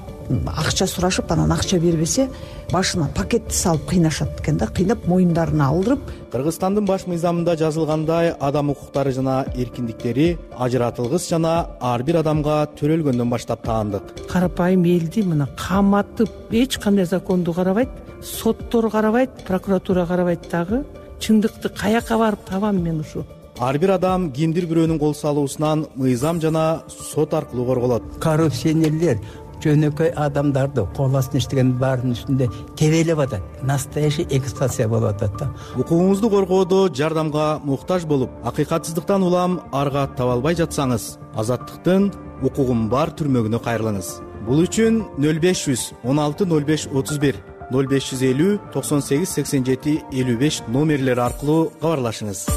S6: акча сурашып, анан акча бербесе, башына пакетти салып кыйнашат экен да, кыйнап моюндарына алдырып.
S7: Кыргызстандын баш мыйзамында жазылгандай, адам укуктары жана эркиндиктери ажыратылгыс жана ар бир адамга төрөлгөндөн баштап таандык.
S8: Карапайым элди мына каматып, эч кандай законду карабайт, соттор карабайт, прокуратура карабайт дагы. Чындыкты каяка барып табам мен ушу?
S7: Ар бир адам кимдир бирөөнүн кол салуусунан мыйзам жана сот аркылуу корголот.
S10: Коррупционерлер жөнөкөй адамдарды кол астына иштеген баарынын үстүндө тебелеп атат. Настоящий эксплуатация болуп атат да.
S7: Укугуңузду коргоодо жардамга муктаж болуп, акыйкатсыздыктан улам арга таба албай жатсаңыз, Азаттыктын укугум бар түрмөгүнө кайрылыңыз. Бул үчүн нөл беш жүз он алты нөл беш отуз бир, нөл беш жүз элүү токсон сегиз сексен жети элүү беш номерлери аркылуу кабарлашыңыз.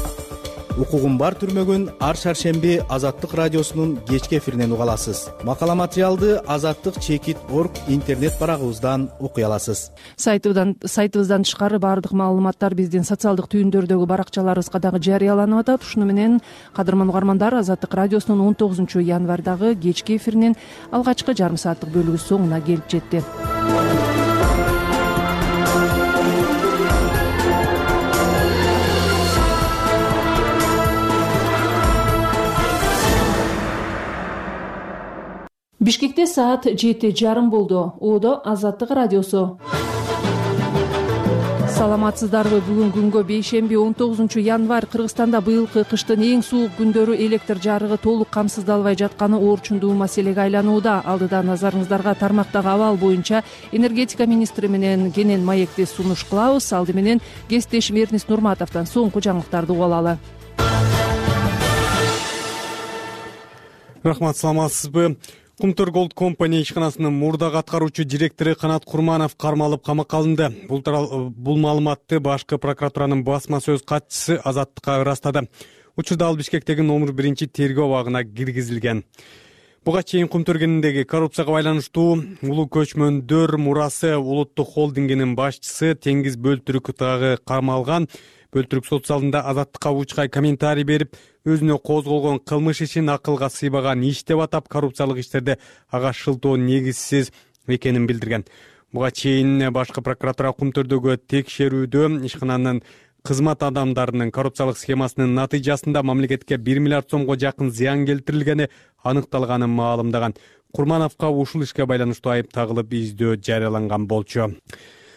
S7: укугум бар түрмөгүн ар шаршемби Азаттык радиосунун кечки эфиринен уга аласыз. Макала материалды азаттык чекит точка орг интернет барагыбыздан окуй аласыз.
S2: Сайтыбыздан сайтыбыздан тышкары баардык маалыматтар биздин социалдык түйүндөрдөгү баракчаларыбызга дагы жарыяланып атат. Ушуну менен кадырман угармандар, Азаттык радиосунун он тогузунчу январдагы кечки эфиринин алгачкы жарым сааттык бөлүгү соңуна келип жетти. Бишкекте саат жети жарым болду. Оодо Азаттык радиосу. Саламатсыздарбы? Бүгүн күнгө бейшемби он тогузунчу январь. Кыргызстанда быйылкы кыштын эң суук күндөрү электр жарыгы толук камсыздалбай жатканы оорчундуу маселеге айланууда. Алдыда назарыңыздарга тармактагы абал боюнча энергетика министри менен кенен маекти сунуш кылабыз. Алды менен кесиптешим Эрнис Нурматовдон соңку жаңылыктарды угуп алалы.
S3: Рахмат, саламатсызбы? Кумтөр Gold Company ишканасынын мурдагы аткаруучу директору Канат Курманов кармалып камакка алынды. Бул бул маалыматты башкы прокуратуранын басма сөз катчысы Азаттыкка ырастады. Учурда ал Бишкектеги номер биринчи тергөө абагына киргизилген. Буга чейин Кумтөр кениндеги коррупцияга байланыштуу улуу көчмөндөр мурасы улуттук холдингинин башчысы Теңиз Бөлтүрүк дагы кармалган. Бөлтүрүк сот залында Азаттыкка учкай комментарий берип, өзүнө козголгон кылмыш ишин акылга сыйбаган иш деп атап, коррупциялык иштерде ага шылтоо негизсиз экенин билдирген. Буга чейин башкы прокуратура Кумтөрдөгү текшерүүдө ишкананын кызмат адамдарынын коррупциялык схемасынын натыйжасында мамлекетке бир миллиард сомго жакын зыян келтирилгени аныкталганын маалымдаган. Курмановго ушул ишке байланыштуу айып тагылып издөө жарыяланган болчу.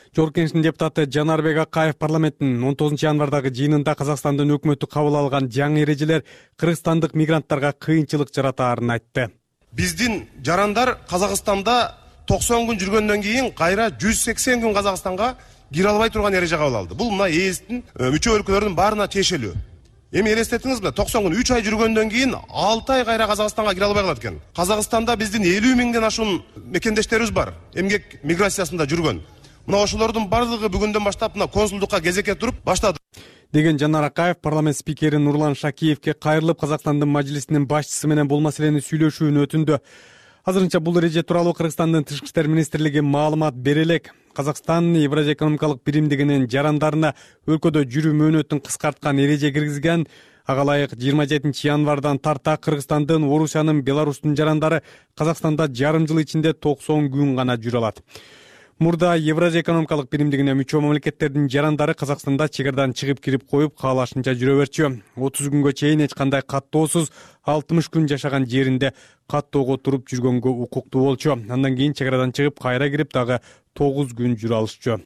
S3: Жогорку Кеңештин депутаты Жанарбек Акаев парламенттин он тогузунчу январдагы жыйынында Казакстандын өкмөтү кабыл алган жаңы эрежелер кыргызстандык мигранттарга кыйынчылык жаратаарын айтты.
S25: Биздин жарандар Казакстанда токсон күн жүргөндөн кийин кайра жүз сексен күн Казакстанга кире албай турган эреже кабыл алды. Бул мына ээстин мүчө өлкөлөрдүн баарына тиешелүү. Эми элестетиңизби, токсон күн үч ай жүргөндөн кийин алты ай кайра Казакстанга кире албай калат экен. Казакстанда биздин элүү миңден ашуун мекендештерибиз бар, эмгек миграциясында жүргөн. Мына ошолордун бардыгы бүгүндөн баштап мына консулдукка кезекке туруп баштады
S3: деген Жанар Акаев парламент спикери Нурлан Шакиевке кайрылып, Казакстандын мажлисинин башчысы менен бул маселени сүйлөшүүнү өтүндү. Азырынча бул эреже тууралуу Кыргызстандын Тышкы иштер министрлиги маалымат бере элек. Казакстан Евразия экономикалык биримдигинин жарандарына өлкөдө жүрүү мөөнөтүн кыскарткан эреже киргизген. Ага ылайык жыйырма жетинчи январдан тарта Кыргызстандын, Орусиянын, Беларустун жарандары Казакстанда жарым жыл ичинде токсон күн гана жүрө алат. Мурда Евразия экономикалык биримдигине мүчө мамлекеттердин жарандары Казакстанда чек арадан чыгып кирип коюп, каалашынча жүрө берчү. отуз күнгө чейин эч кандай каттоосуз алтымыш күн жашаган жеринде каттоого туруп жүргөнгө укуктуу болчу. Андан кийин чек арадан чыгып, кайра кирип дагы тогуз күн жүрө алышчу.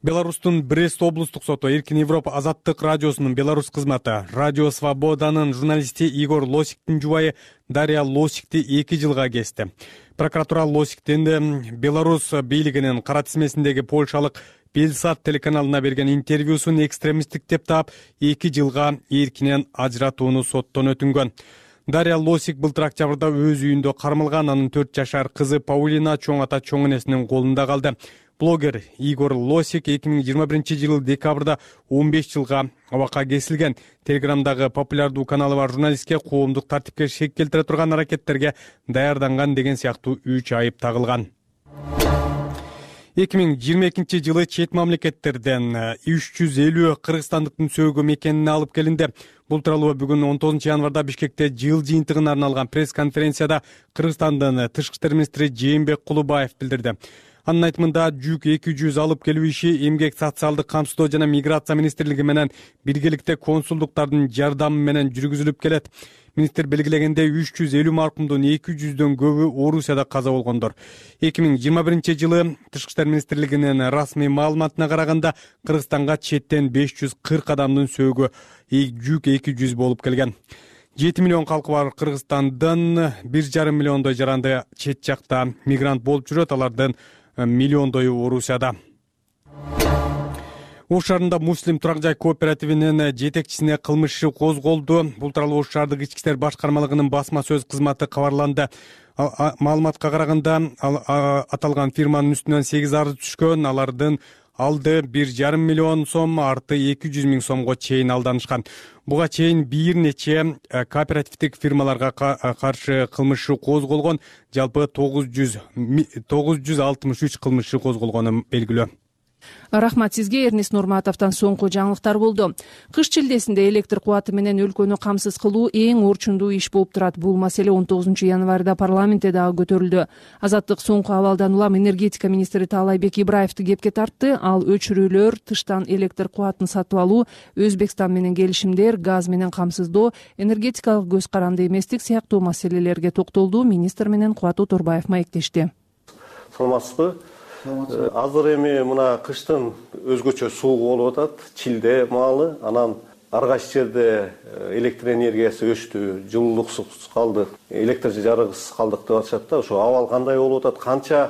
S3: Беларустун Брест облустук соту Эркин Европа Азаттык радиосунун Беларусь кызматы Радио Свободанын журналисти Игорь Лосиктин жубайы Дарья Лосикти эки жылга кести. Прокуратура Лосиктин Беларусь бийлигинин кара тизмесиндеги польшалык Белсат телеканалына берген интервьюсун экстремисттик деп таап, эки жылга эркинен ажыратууну соттон өтүнгөн. Дарья Лосик былтыр октябрда өз үйүндө кармалган, анын төрт жашар кызы Паулина чоң ата чоң энесинин колунда калды. Блогер Игорь Лосик эки миң жыйырма биринчи жылы декабрда он беш жылга абакка кесилген. Телеграмдагы популярдуу каналы бар журналистке коомдук тартипке шек келтире турган аракеттерге даярданган деген сыяктуу үч айып тагылган. эки миң жыйырма экинчи жылы чет мамлекеттерден үч жүз элүү кыргызстандыктын сөөгү мекенине алып келинди. Бул тууралуу бүгүн он тогузунчу январда Бишкекте жыл жыйынтыгына арналган пресс-конференцияда Кыргызстандын Тышкы иштер министри Жээнбек Кулубаев билдирди. Анын айтымында жүк эки жүз алып келүү иши эмгек, социалдык камсыздоо жана миграция министрлиги менен биргеликте консулдуктардын жардамы менен жүргүзүлүп келет. Министр белгилегендей үч жүз элүү маркумдун эки жүздөн көбү Орусияда каза болгондор. эки миң жыйырма биринчи жылы Тышкы иштер министрлигинин расмий маалыматына караганда Кыргызстанга четтен беш жүз кырк адамдын сөөгү жүк эки жүз болуп келген. жети миллион калкы бар Кыргызстандын бир жарым миллиондой жаранды чет жакта мигрант болуп жүрөт, алардын миллиондою Орусияда. Ош шаарында Муслим турак жай кооперативинин жетекчисине кылмыш иши козголду. Бул тууралуу Ош шаардык ички иштер башкармалыгынын басма сөз кызматы кабарланды. Маалыматка караганда аталган фирманын үстүнөн сегиз арыз түшкөн, алардын алды бир жарым миллион сом, арты эки жүз миң сомго чейин алданышкан. Буга чейин бир нече кооперативдик фирмаларга каршы кылмыш козголгон. Жалпы тогуз жүз алтымыш үч кылмыш козголгону белгилүү.
S2: Рахмат сизге. Эрнест Нурматовдон соңку жаңылыктар болду. Кыш чилдесинде электр кубаты менен өлкөнү камсыз кылуу эң орчундуу иш болуп турат. Бул маселе он тогузунчу январда парламентте дагы көтөрүлдү. Азаттык соңку абалдан улам энергетика министри Таалайбек Ибраевди кепке тартты. Ал өчүрүүлөр, тыштан электр кубатын сатып алуу, Өзбекстан менен келишимдер, газ менен камсыздоо, энергетикалык көз каранды эместик сыяктуу маселелерге токтолду. Министр менен Кубат Оторбаев маектешти.
S11: Саламатсызбы? Азыр эми мына кыштын өзгөчө суук болуп атат, чилде маалы, анан ар кайсы жерде электр энергиясы өчтү, жылуулуксуз калдык, электр жарыгысыз калдык деп атышат да. Ошо абал кандай болуп атат, канча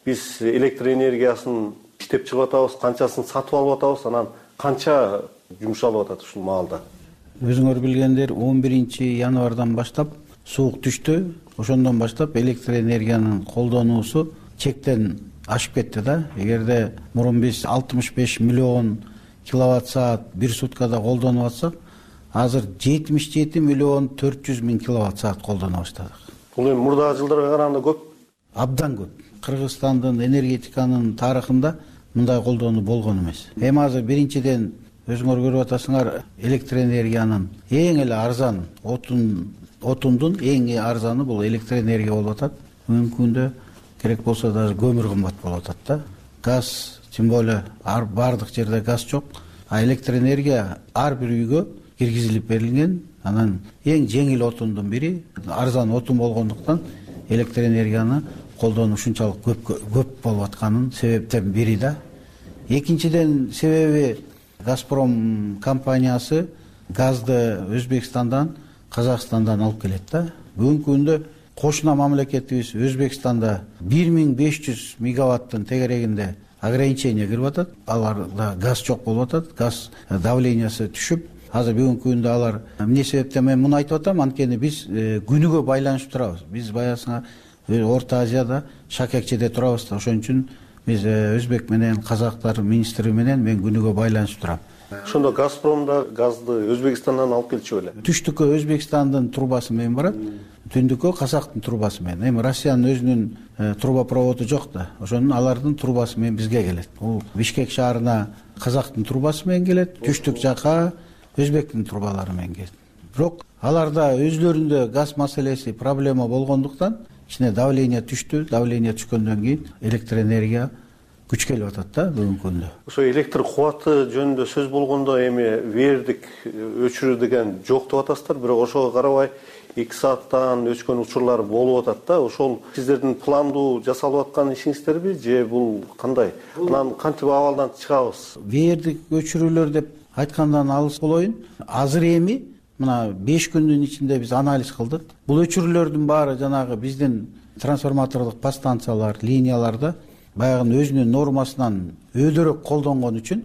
S11: биз электр энергиясын иштеп чыгып атабыз, канчасын сатып алып атабыз, анан канча жумшалып атат ушул маалда.
S12: Өзүңөр билгендер, он биринчи январдан баштап суук түштү. Ошондон баштап электр энергиянын колдонуусу чектен ашып кетти да. Эгерде мурун биз алтымыш беш миллион киловатт саат бир суткада колдонуп атсак, азыр жетимиш жети миллион төрт жүз миң киловатт саат колдоно баштадык.
S11: Бул эми мурдагы жылдарга караганда көп?
S12: Абдан көп. Кыргызстандын энергетиканын тарыхында мындай колдонуу болгон эмес. Эми азыр биринчиден өзүңөр көрүп атасыңар, электр энергиянын эң эле арзан отун отундун эң арзаны бул электр энергия болуп атат. Бүгүнкү күндө керек болсо даже көмүр кымбат болуп атат да. Газ, тем более бардык жерде газ жок, а электр энергия ар бир үйгө киргизилип берилген. Анан эң жеңил отундун бири, арзан отун болгондуктан электр энергияны колдонуу ушунчалык көп көп болуп атканын себептен бири да. Экинчиден себеби Газпром компаниясы газды Өзбекстандан, Казакстандан алып келет да. Бүгүнкү күндө кошуна мамлекетибиз Өзбекстанда бир миң беш жүз мегаваттын тегерегинде ограничение кирип атат. Аларда газ жок болуп атат, газ давлениясы түшүп, азыр бүгүнкү күндө алар эмне себептен мен муну айтып атам, анткени биз күнүгө байланышып турабыз. Биз баягысына Орто Азияда Шакекчеде турабыз да. Ошон үчүн биз өзбек менен казактар министри менен мен күнүгө байланышып турам.
S11: Ошондо Газпромда газды Өзбекстандан алып келчү беле?
S12: Түштүккө Өзбекстандын трубасы менен барат, түндүккө Казактын трубасы менен. Эми Россиянын өзүнүн трубопроводу жок да. Ошонун алардын трубасы менен бизге келет. Бул Бишкек шаарына Казактын трубасы менен келет, түштүк жака Өзбектин трубалары менен келет. Бирок аларда өзлөрүндө газ маселеси проблема болгондуктан ичине давление түштү, давление түшкөндөн кийин электр энергия күч келип атат да бүгүнкү күндө.
S11: Ошо электр кубаты жөнүндө сөз болгондо эми вердик өчүрүү деген жок деп атасыздар, бирок ошого карабай эки сааттан өчкөн учурлар болуп атат да. Ошол сиздердин пландуу жасалып аткан ишиңиздерби же бул кандай? Анан кантип абалдан чыгабыз?
S12: Вердик өчүрүүлөр деп айткандан алыс болоюн. Азыр эми мына беш күндүн ичинде биз анализ кылдык. Бул өчүрүүлөрдүн баары жанагы биздин трансформатордук подстанциялар, линияларда баягы өзүнүн нормасынан өйдөрөөк колдонгон үчүн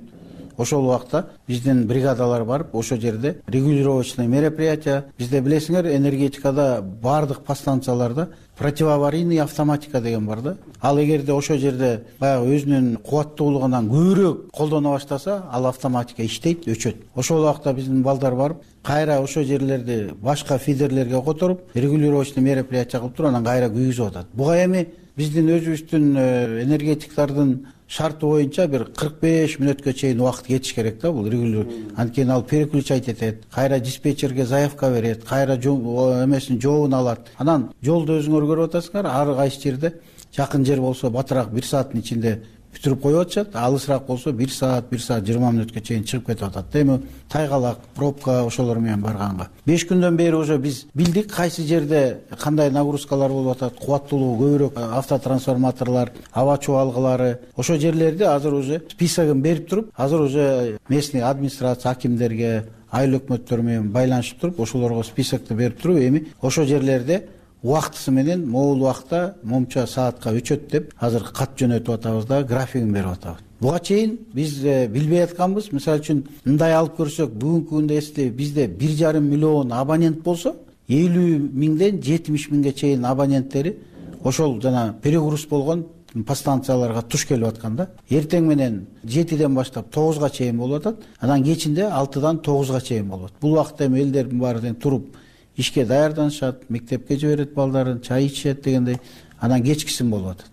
S12: ошол убакта биздин бригадалар барып, ошол жерде регулировочный мероприятия, бизде билесиңер, энергетикада бардык подстанцияларда противоаварийный автоматика деген бар да. Ал эгерде ошол жерде баягы өзүнүн кубаттуулугунан көбүрөөк колдоно баштаса, ал автоматика иштейт, өчөт. Ошол убакта биздин балдар барып, кайра ошол жерлерди башка фидерлерге которуп, регулировочный мероприятия кылып туруп, анан кайра күйгүзүп атат. Буга эми биздин өзүбүздүн энергетиктардын шарты боюнча бир кырк беш мүнөткө чейин убакыт кетиш керек да. Бул регулировка, анткени ал переключать этет, кайра диспетчерге заявка берет, кайра эмесин жообун алат. Анан жолду өзүңөр көрүп атасыңар, ар кайсы жерде жакын жер болсо батыраак бир сааттын ичинде бүтүрүп коюп атышат, алысыраак болсо бир саат, бир саат жыйырма мүнөткө чейин чыгып кетип атат. Эми тайгалак, пробка ошолор менен барганга беш күндөн бери уже биз билдик кайсы жерде кандай нагрузкалар болуп атат, кубаттуулугу көбүрөөк автотрансформаторлор, аба чубалгылары. Ошол жерлерди азыр уже списогун берип туруп, азыр уже местный администрация акимдерге, айыл өкмөттөр менен байланышып туруп, ошолорго списокду берип туруп, эми ошол жерлерде убактысы менен могул убакта момча саатка өчөт деп азыр кат жөнөтүп атабыз да, графигин берип атабыз. Буга чейин биз билбей атканбыз. Мисалы үчүн мындай алып көрсөк, бүгүнкү күндө эсте бизде бир жарым миллион абонент болсо, элүү миңден жетимиш миңге чейин абоненттери ошол жана перегруз болгон подстанцияларга туш келип аткан да. Эртең менен жетиден баштап тогузга чейин болуп атат, анан кечинде алтыдан тогузга чейин болот. Бул убакытта эми элдердин баары тең туруп ишке даярданышат, мектепке жиберет балдарын, чай ичишет дегендей, анан кечкисин болуп атат.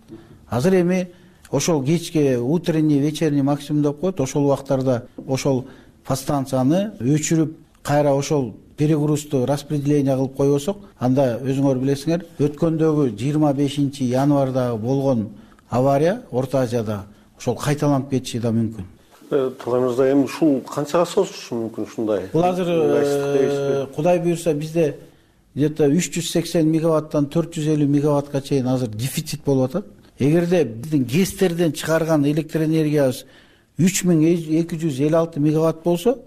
S12: Азыр эми ошол кечки утренний, вечерний максимум деп коет, ошол убактарда ошол подстанцияны өчүрүп кайра ошол перегрузду распределение кылып койбосок, анда өзүңөр билесиңер, өткөндөгү жыйырма бешинчи январда болгон авария Орто Азияда ошол кайталанып кетиши да мүмкүн.
S11: Талай мырза, эми ушул канчага созулушу мүмкүн ушундай?
S12: Бул азыр Кудай буйрса бизде где-то үч жүз сексен мегаваттан төрт жүз элүү мегаваттка чейин азыр дефицит болуп атат. Эгерде биздин ГЭСтерден чыгарган электр энергиябыз үч миң эки жүз элүү алты мегаватт болсо,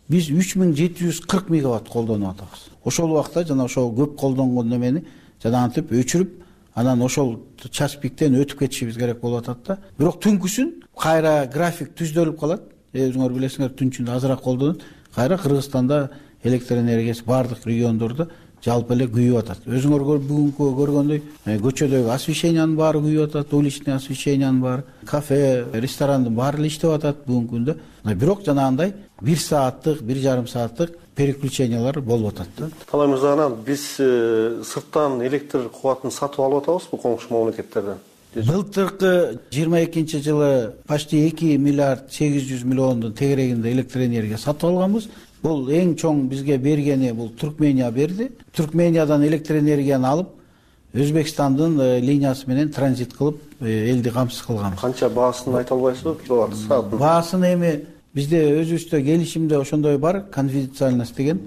S12: биз үч миң жети жүз кырк мегаватт колдонуп атабыз. Ошол убакта жана ошол көп колдонгон немени жанагынтип өчүрүп, анан ошол час пиктен өтүп кетишибиз керек болуп атат да. Бирок түнкүсүн кайра график түздөлүп калат. Өзүңөр билесиңер, түнчүндө азыраак колдонот. Кайра Кыргызстанда электр энергиясы бардык региондордо жалпы эле күйүп атат. Өзүңөр бүгүнкү көргөндөй көчөдөгү освещениянын баары күйүп атат, уличный освещениянын баары, кафе, ресторандын баары эле иштеп атат бүгүнкү күндө. Бирок жанагындай бир сааттык, бир жарым сааттык переключениялар болуп атат да.
S11: Талай мырза, анан биз сырттан электр кубатын сатып алып атабызбы коңшу мамлекеттерден?
S12: Былтыркы жыйырма экинчи жылы почти эки миллиард сегиз жүз миллиондун тегерегинде электр энергия сатып алганбыз. Бул эң чоң бизге бергени бул Туркмения берди. Туркмениядан электр энергияны алып, Өзбекстандын линиясы менен транзит кылып, элди камсыз кылган.
S11: Канча баасын айта албайсызбы? Киловатт саатын.
S12: Баасын эми бизде өзүбүздө келишимде ошондой бар, конфиденциальность деген.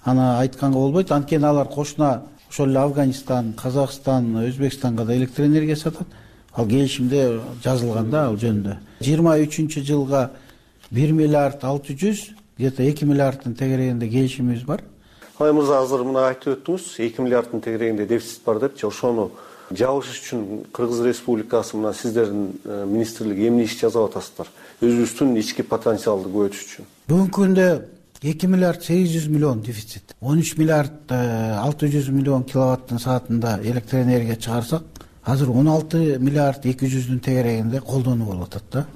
S12: Аны айтканга болбойт. Анткени алар кошуна ошол эле Афганистан, Казакстан, Өзбекстанга да электр энергия сатат. Ал келишимде жазылган да ал жөнүндө. жыйырма үчүнчү жылга бир миллиард алты жүз, где-то эки миллиардтын тегерегинде келишимибиз бар.
S11: Алай мырза, азыр мына айтып өттүңүз, эки миллиардтын тегерегинде дефицит бар депчи. Ошону жабыш үчүн Кыргыз Республикасы мына сиздердин министрлиги эмне иш жасап атасыздар? Өзүбүздүн ички потенциалды көбөйтүш үчүн.
S12: Бүгүнкү күндө эки миллиард сегиз жүз миллион дефицит. он үч миллиард алты жүз миллион киловаттын саатында электр энергия чыгарсак, азыр он алты миллиард эки жүздүн тегерегинде колдонуу болуп атат да.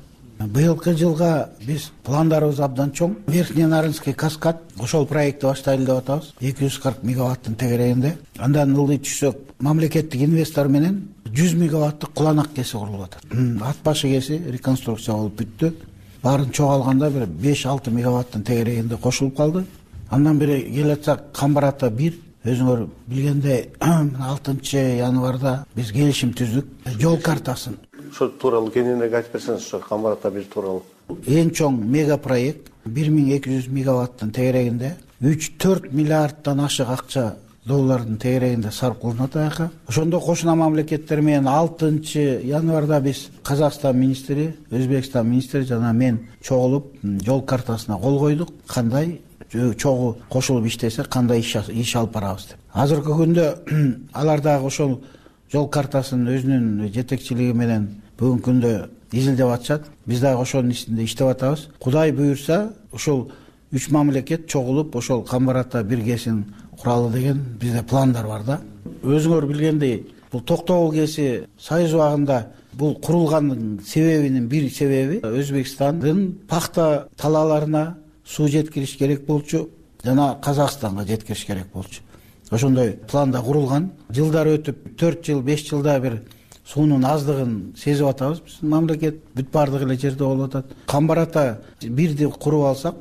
S12: Быйылкы жылга биз пландарыбыз абдан чоң. Верхний Нарынский каскад ошол проектти баштайлы деп атабыз. эки жүз кырк мегаваттын тегерегинде. Андан ылдый түшсөк, мамлекеттик инвестор менен жүз мегаваттык куланак кеси курулуп атат. Ат башы кеси реконструкция болуп бүттү. Баарын чогулганда бир беш алты мегаваттын тегерегинде кошулуп калды. Андан бери келатсак, Камбар ата бир, өзүңөр билгендей алтынчы январда биз келишим түздүк. Жол картасын.
S11: Ошол тууралуу кененирээк айтып берсеңиз, ошо Камбар ата бир тууралуу.
S12: Эң чоң мега проект бир миң эки жүз мегаваттын тегерегинде үч төрт миллиарддан ашык акча доллардын тегерегинде сарп кылынат аяка. Ошондо кошуна мамлекеттер менен алтынчы январда биз Казакстан министри, Өзбекстан министри жана мен чогулуп жол картасына кол койдук. Кандай чогуу кошулуп иштесе, кандай иш алып барабыз деп. Азыркы күндө алар дагы ошол жол картасын өзүнүн жетекчилиги менен бүгүнкү күндө изилдеп атышат. Биз дагы ошонун ичинде иштеп атабыз. Кудай буйрса, ошол үч мамлекет чогулуп ошол Камбар ата биргесин куралы деген бизде пландар бар да. Өзүңөр билгендей, бул Токтогул кеси Союз убагында бул курулганын себебинин бир себеби Өзбекстандын пахта талааларына суу жеткириш керек болчу, жана Казакстанга жеткириш керек болчу. Ошондой планда курулган. Жылдар өтүп, төрт жыл, беш жылда бир суунун аздыгын сезип атабыз. Биздин мамлекет бүт бардык эле жерде болуп атат. Камбар ата бирди куруп алсак,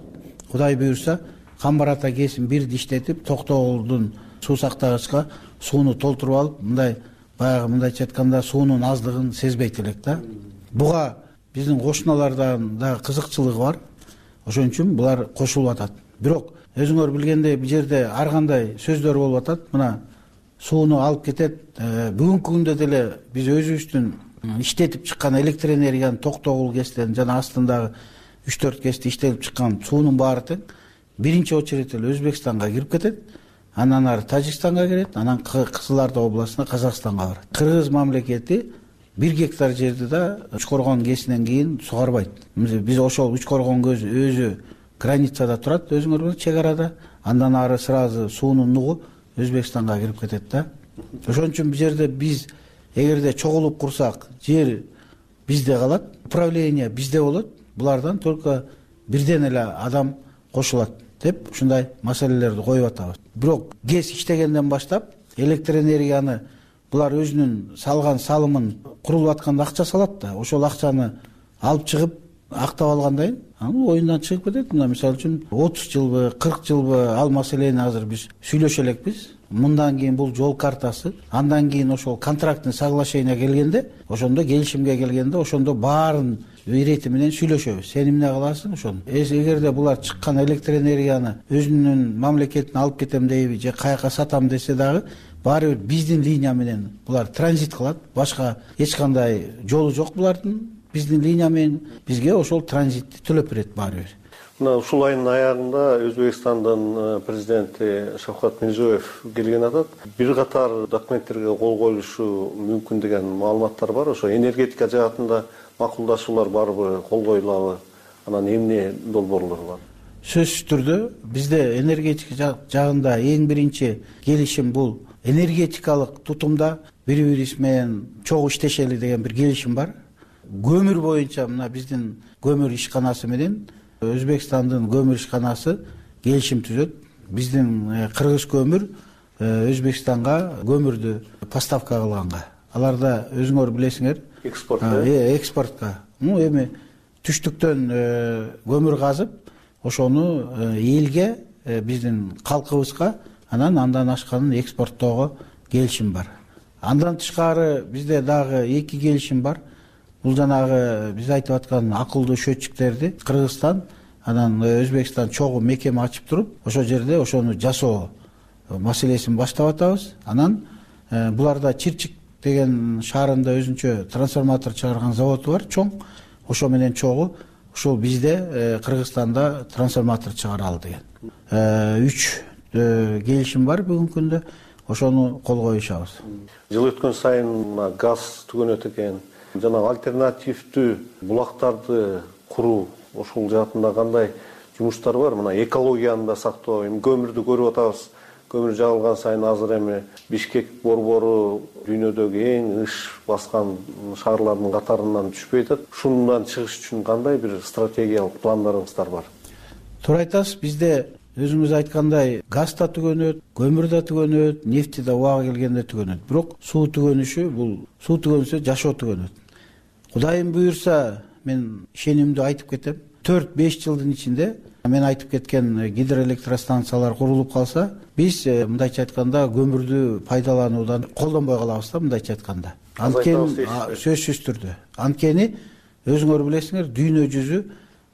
S12: Кудай буйрса, Камбар ата кесин бирди иштетип, Токтогулдун суу сактагычка сууну толтуруп алып, мындай баягы мындайча айтканда суунун аздыгын сезбейт элек да. Буга биздин кошуналардан да кызыкчылыгы бар. Ошон үчүн булар кошулуп атат. Бирок өзүңөр билгендей, бул жерде ар кандай сөздөр болуп атат. Мына сууну алып кетет. Бүгүнкү күндө деле биз өзүбүздүн иштетип чыккан электр энергиянын Токтогул кестерин жана астындагы үч төрт кесте иштелип чыккан суунун баары тең биринчи очередь эле Өзбекстанга кирип кетет. Анан ары Тажикстанга кирет, анан Кызыл Орда областына Казакстанга барат. Кыргыз мамлекети бир гектар жерди да Учкоргон кесинен кийин сугарбайт. Биз ошол Учкоргон көзү өзү границада турат, өзүңөр билет, чек арада. Андан ары сразу суунун нугу Өзбекстанга кирип кетет да. Ошон үчүн бул жерде биз эгерде чогулуп курсак, жер бизде калат, управление бизде болот, булардан только бирден эле адам кошулат деп ушундай маселелерди коюп атабыз. Бирок ГЭС иштегенден баштап электр энергияны булар өзүнүн салган салымын курулуп атканда акча салат да, ошол акчаны алып чыгып актап алгандан кийин анын оюндан чыгып кетет. Мына мисалы үчүн отуз жылбы, кырк жылбы ал маселени азыр биз сүйлөшө элекпиз. Мындан кийин бул жол картасы, андан кийин ошол контрактный соглашение келгенде, ошондо келишимге келгенде, ошондо баарын ирети менен сүйлөшөбүз. Сен эмне кыласың ошону? Эгерде булар чыккан электр энергияны өзүнүн мамлекетине алып кетем дейби же каяка сатам десе дагы, баары бир биздин линия менен булар транзит кылат. Башка эч кандай жолу жок булардын. Биздин линия менен бизге ошол транзитти төлөп берет баары бир.
S11: Мына ушул айдын аягында Өзбекстандын президенти Шавкат Мирзиёев келген атат. Бир катар документтерге кол коюлушу мүмкүн деген маалыматтар бар. Ошо энергетика жаатында макулдашуулар барбы, кол коюлабы? Анан эмне долбоорлор бар?
S12: Сөзсүз түрдө бизде энергетика жагында эң биринчи келишим бул энергетикалык тутумда бири бирибиз менен чогуу иштешели деген бир келишим бар. Көмүр боюнча мына биздин көмүр ишканасы менен Өзбекстандын көмүр ишканасы келишим түзөт. Биздин кыргыз көмүр Өзбекстанга көмүрдү поставка кылганга. Аларда өзүңөр билесиңер,
S11: экспорт,
S12: экспортко. Ну эми түштүктөн көмүр казып, ошону элге, биздин калкыбызга, анан андан ашканын экспорттоого келишим бар. Андан тышкары бизде дагы эки келишим бар. Бул жанагы биз айтып аткан акылдуу счетчиктерди Кыргызстан, анан Өзбекстан чогуу мекеме ачып туруп, ошол жерде ошону жасоо маселесин баштап атабыз. Анан буларда Чирчик деген шаарында өзүнчө трансформатор чыгарган заводу бар, чоң. Ошо менен чогуу ушул бизде Кыргызстанда трансформатор чыгаралы деген. үч келишим бар бүгүнкү күндө. Ошону кол коюшабыз.
S11: Жыл өткөн сайын газ түгөнөт экен. Жана альтернативдүү булактарды куруу ошол жаатында кандай жумуштар бар? Мына экологияны да сактоо, эми көмүрдү көрүп атабыз. Көмүр жагылган сайын азыр эми Бишкек борбору дүйнөдөгү эң ыш баскан шаарлардын катарынан түшпөй атат. Ушундан чыгыш үчүн кандай бир стратегиялык пландарыңыздар бар?
S12: Туура айтасыз, бизде өзүңүз айткандай газ да түгөнөт, көмүр да түгөнөт, нефти да убагы келгенде түгөнөт. Бирок суу түгөнүшү бул суу түгөнсө жашоо түгөнөт. Кудайым буюрса, мен ишенимдүү айтып кетем. төрт беш жылдын ичинде мен айтып кеткен гидроэлектростанциялар курулуп калса, биз мындайча айтканда көмүрдү пайдалануудан колдонбой калабыз да, мындайча айтканда. Анткени сөзсүз түрдө. Анткени өзүңөр билесиңер, дүйнө жүзү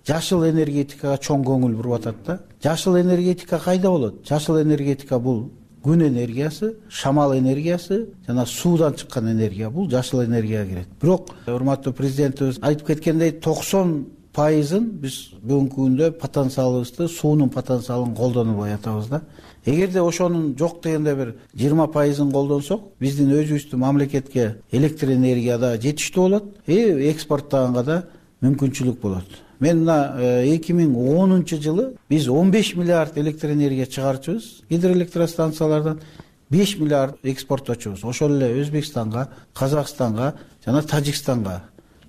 S12: жашыл энергетикага чоң көңүл буруп атат да. Жашыл энергетика кайда болот? Жашыл энергетика бул күн энергиясы, шамал энергиясы жана суудан чыккан энергия, бул жашыл энергияга кирет. Бирок урматтуу президентибиз айтып кеткендей, токсон пайызын биз бүгүнкү күндө потенциалыбызды, суунун потенциалын колдонбой атабыз да. Эгерде ошонун жок дегенде бир жыйырма пайызын колдонсок, биздин өзүбүздүн мамлекетке электр энергияда жетиштүү болот, и экспорттаганга да мүмкүнчүлүк болот. Мен мына эки миң онунчу жылы биз он беш миллиард электр энергия чыгарчубуз, гидроэлектростанциялардан беш миллиард экспортточубуз. Ошол эле Өзбекстанга, Казакстанга жана Тажикстанга.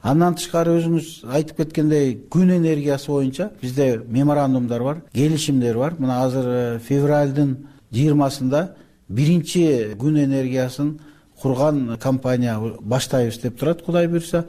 S12: Андан тышкары өзүңүз айтып кеткендей, күн энергиясы боюнча бизде меморандумдар бар, келишимдер бар. Мына азыр февралдын жыйырмасында биринчи күн энергиясын курган компания баштайбыз деп турат, Кудай буюрса.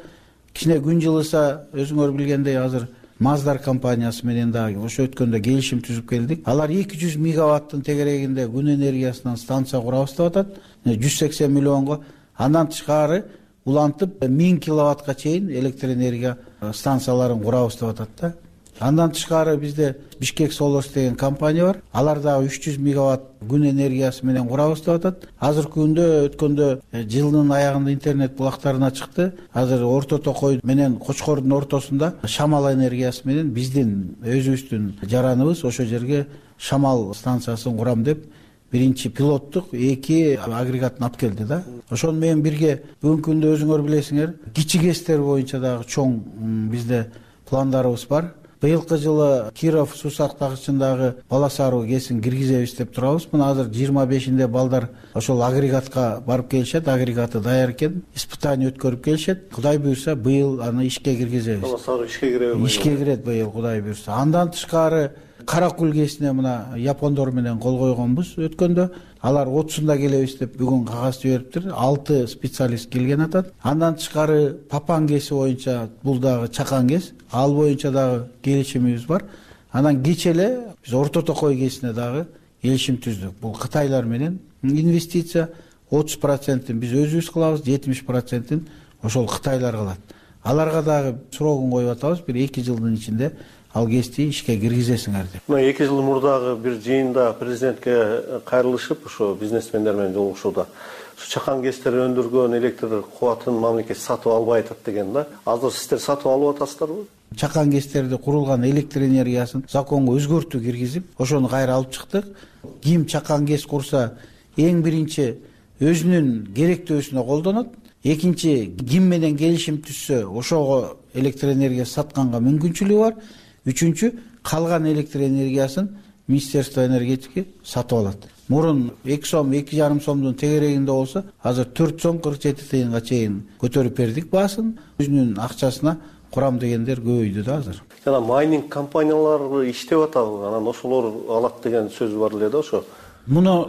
S12: Кичине күн жылыса, өзүңөр билгендей, азыр Маздар компаниясы менен дагы ошо өткөндө келишим түзүп келдик. Алар эки жүз мегаваттын тегерегинде күн энергиясынан станция курабыз деп атат, жүз сексен миллионго. Андан тышкары улантып миң киловаттка чейин электр энергия станцияларын курабыз деп атат да. Андан тышкары бизде Бишкек Солос деген компания бар. Алар дагы үч жүз мегаватт күн энергиясы менен курабыз деп атат. Азыркы күндө өткөндө жылдын аягында интернет булактарына чыкты. Азыр Орто Токой менен Кочкордун ортосунда шамал энергиясы менен биздин өзүбүздүн жараныбыз ошо жерге шамал станциясын курам деп биринчи пилоттук эки агрегатын алып келди да. Ошону менен бирге бүгүнкү күндө өзүңөр билесиңер, кичи ГЭСтер боюнча дагы чоң бизде пландарыбыз бар. быйылкы жылы Киров суу сактагычындагы бала саруу кесин киргизебиз деп турабыз. Мына азыр жыйырма бешинде балдар ошол агрегатка барып келишет, агрегаты даяр экен, испытание өткөрүп келишет. Кудай буйрса быйыл аны ишке киргизебиз.
S11: Бала саруу ишке киреби?
S12: Ишке кирет быйыл, Кудай буйрса. Андан тышкары Каракул кесине мына япондор менен кол койгонбуз өткөндө. Алар отузунда келебиз деп бүгүн кагаз жибериптир. алты специалист келген атат. Андан тышкары Папан кеси боюнча бул дагы чакан кес. Ал боюнча дагы келишимибиз бар. Анан кече эле биз Орто Токой кесине дагы келишим түздүк. Бул Кытайлар менен инвестиция отуз процентин биз өзүбүз кылабыз, жетимиш процентин ошол Кытайлар кылат. Аларга дагы срогун коюп атабыз, бир эки жылдын ичинде ал кести ишке киргизесиңер деп.
S11: Мына эки жыл мурдагы бир жыйында президентке кайрылышып, ошо бизнесмендер менен жолугушууда чакан кестер өндүргөн электр кубатын мамлекет сатып албай атат деген да. Азыр сиздер сатып алып атасыздарбы?
S12: Чакан кестерде курулган электр энергиясын законго өзгөртүү киргизип, ошону кайра алып чыктык. Ким чакан кес курса, эң биринчи өзүнүн керектөөсүнө колдонот. Экинчи, ким менен келишим түзсө, ошого электр энергиясын сатканга мүмкүнчүлүгү бар. Үчүнчү, калган электр энергиясын Министерство энергетики сатып алат. Мурун эки сом, эки жарым сомдун тегерегинде болсо, азыр төрт сом кырк жети тыйынга чейин көтөрүп бердик баасын. Өзүнүн акчасына курам дегендер көбөйдү да азыр.
S11: Жана майнинг компаниялары иштеп атабы, анан ошолор алат деген сөз бар эле да ошо.
S12: Муну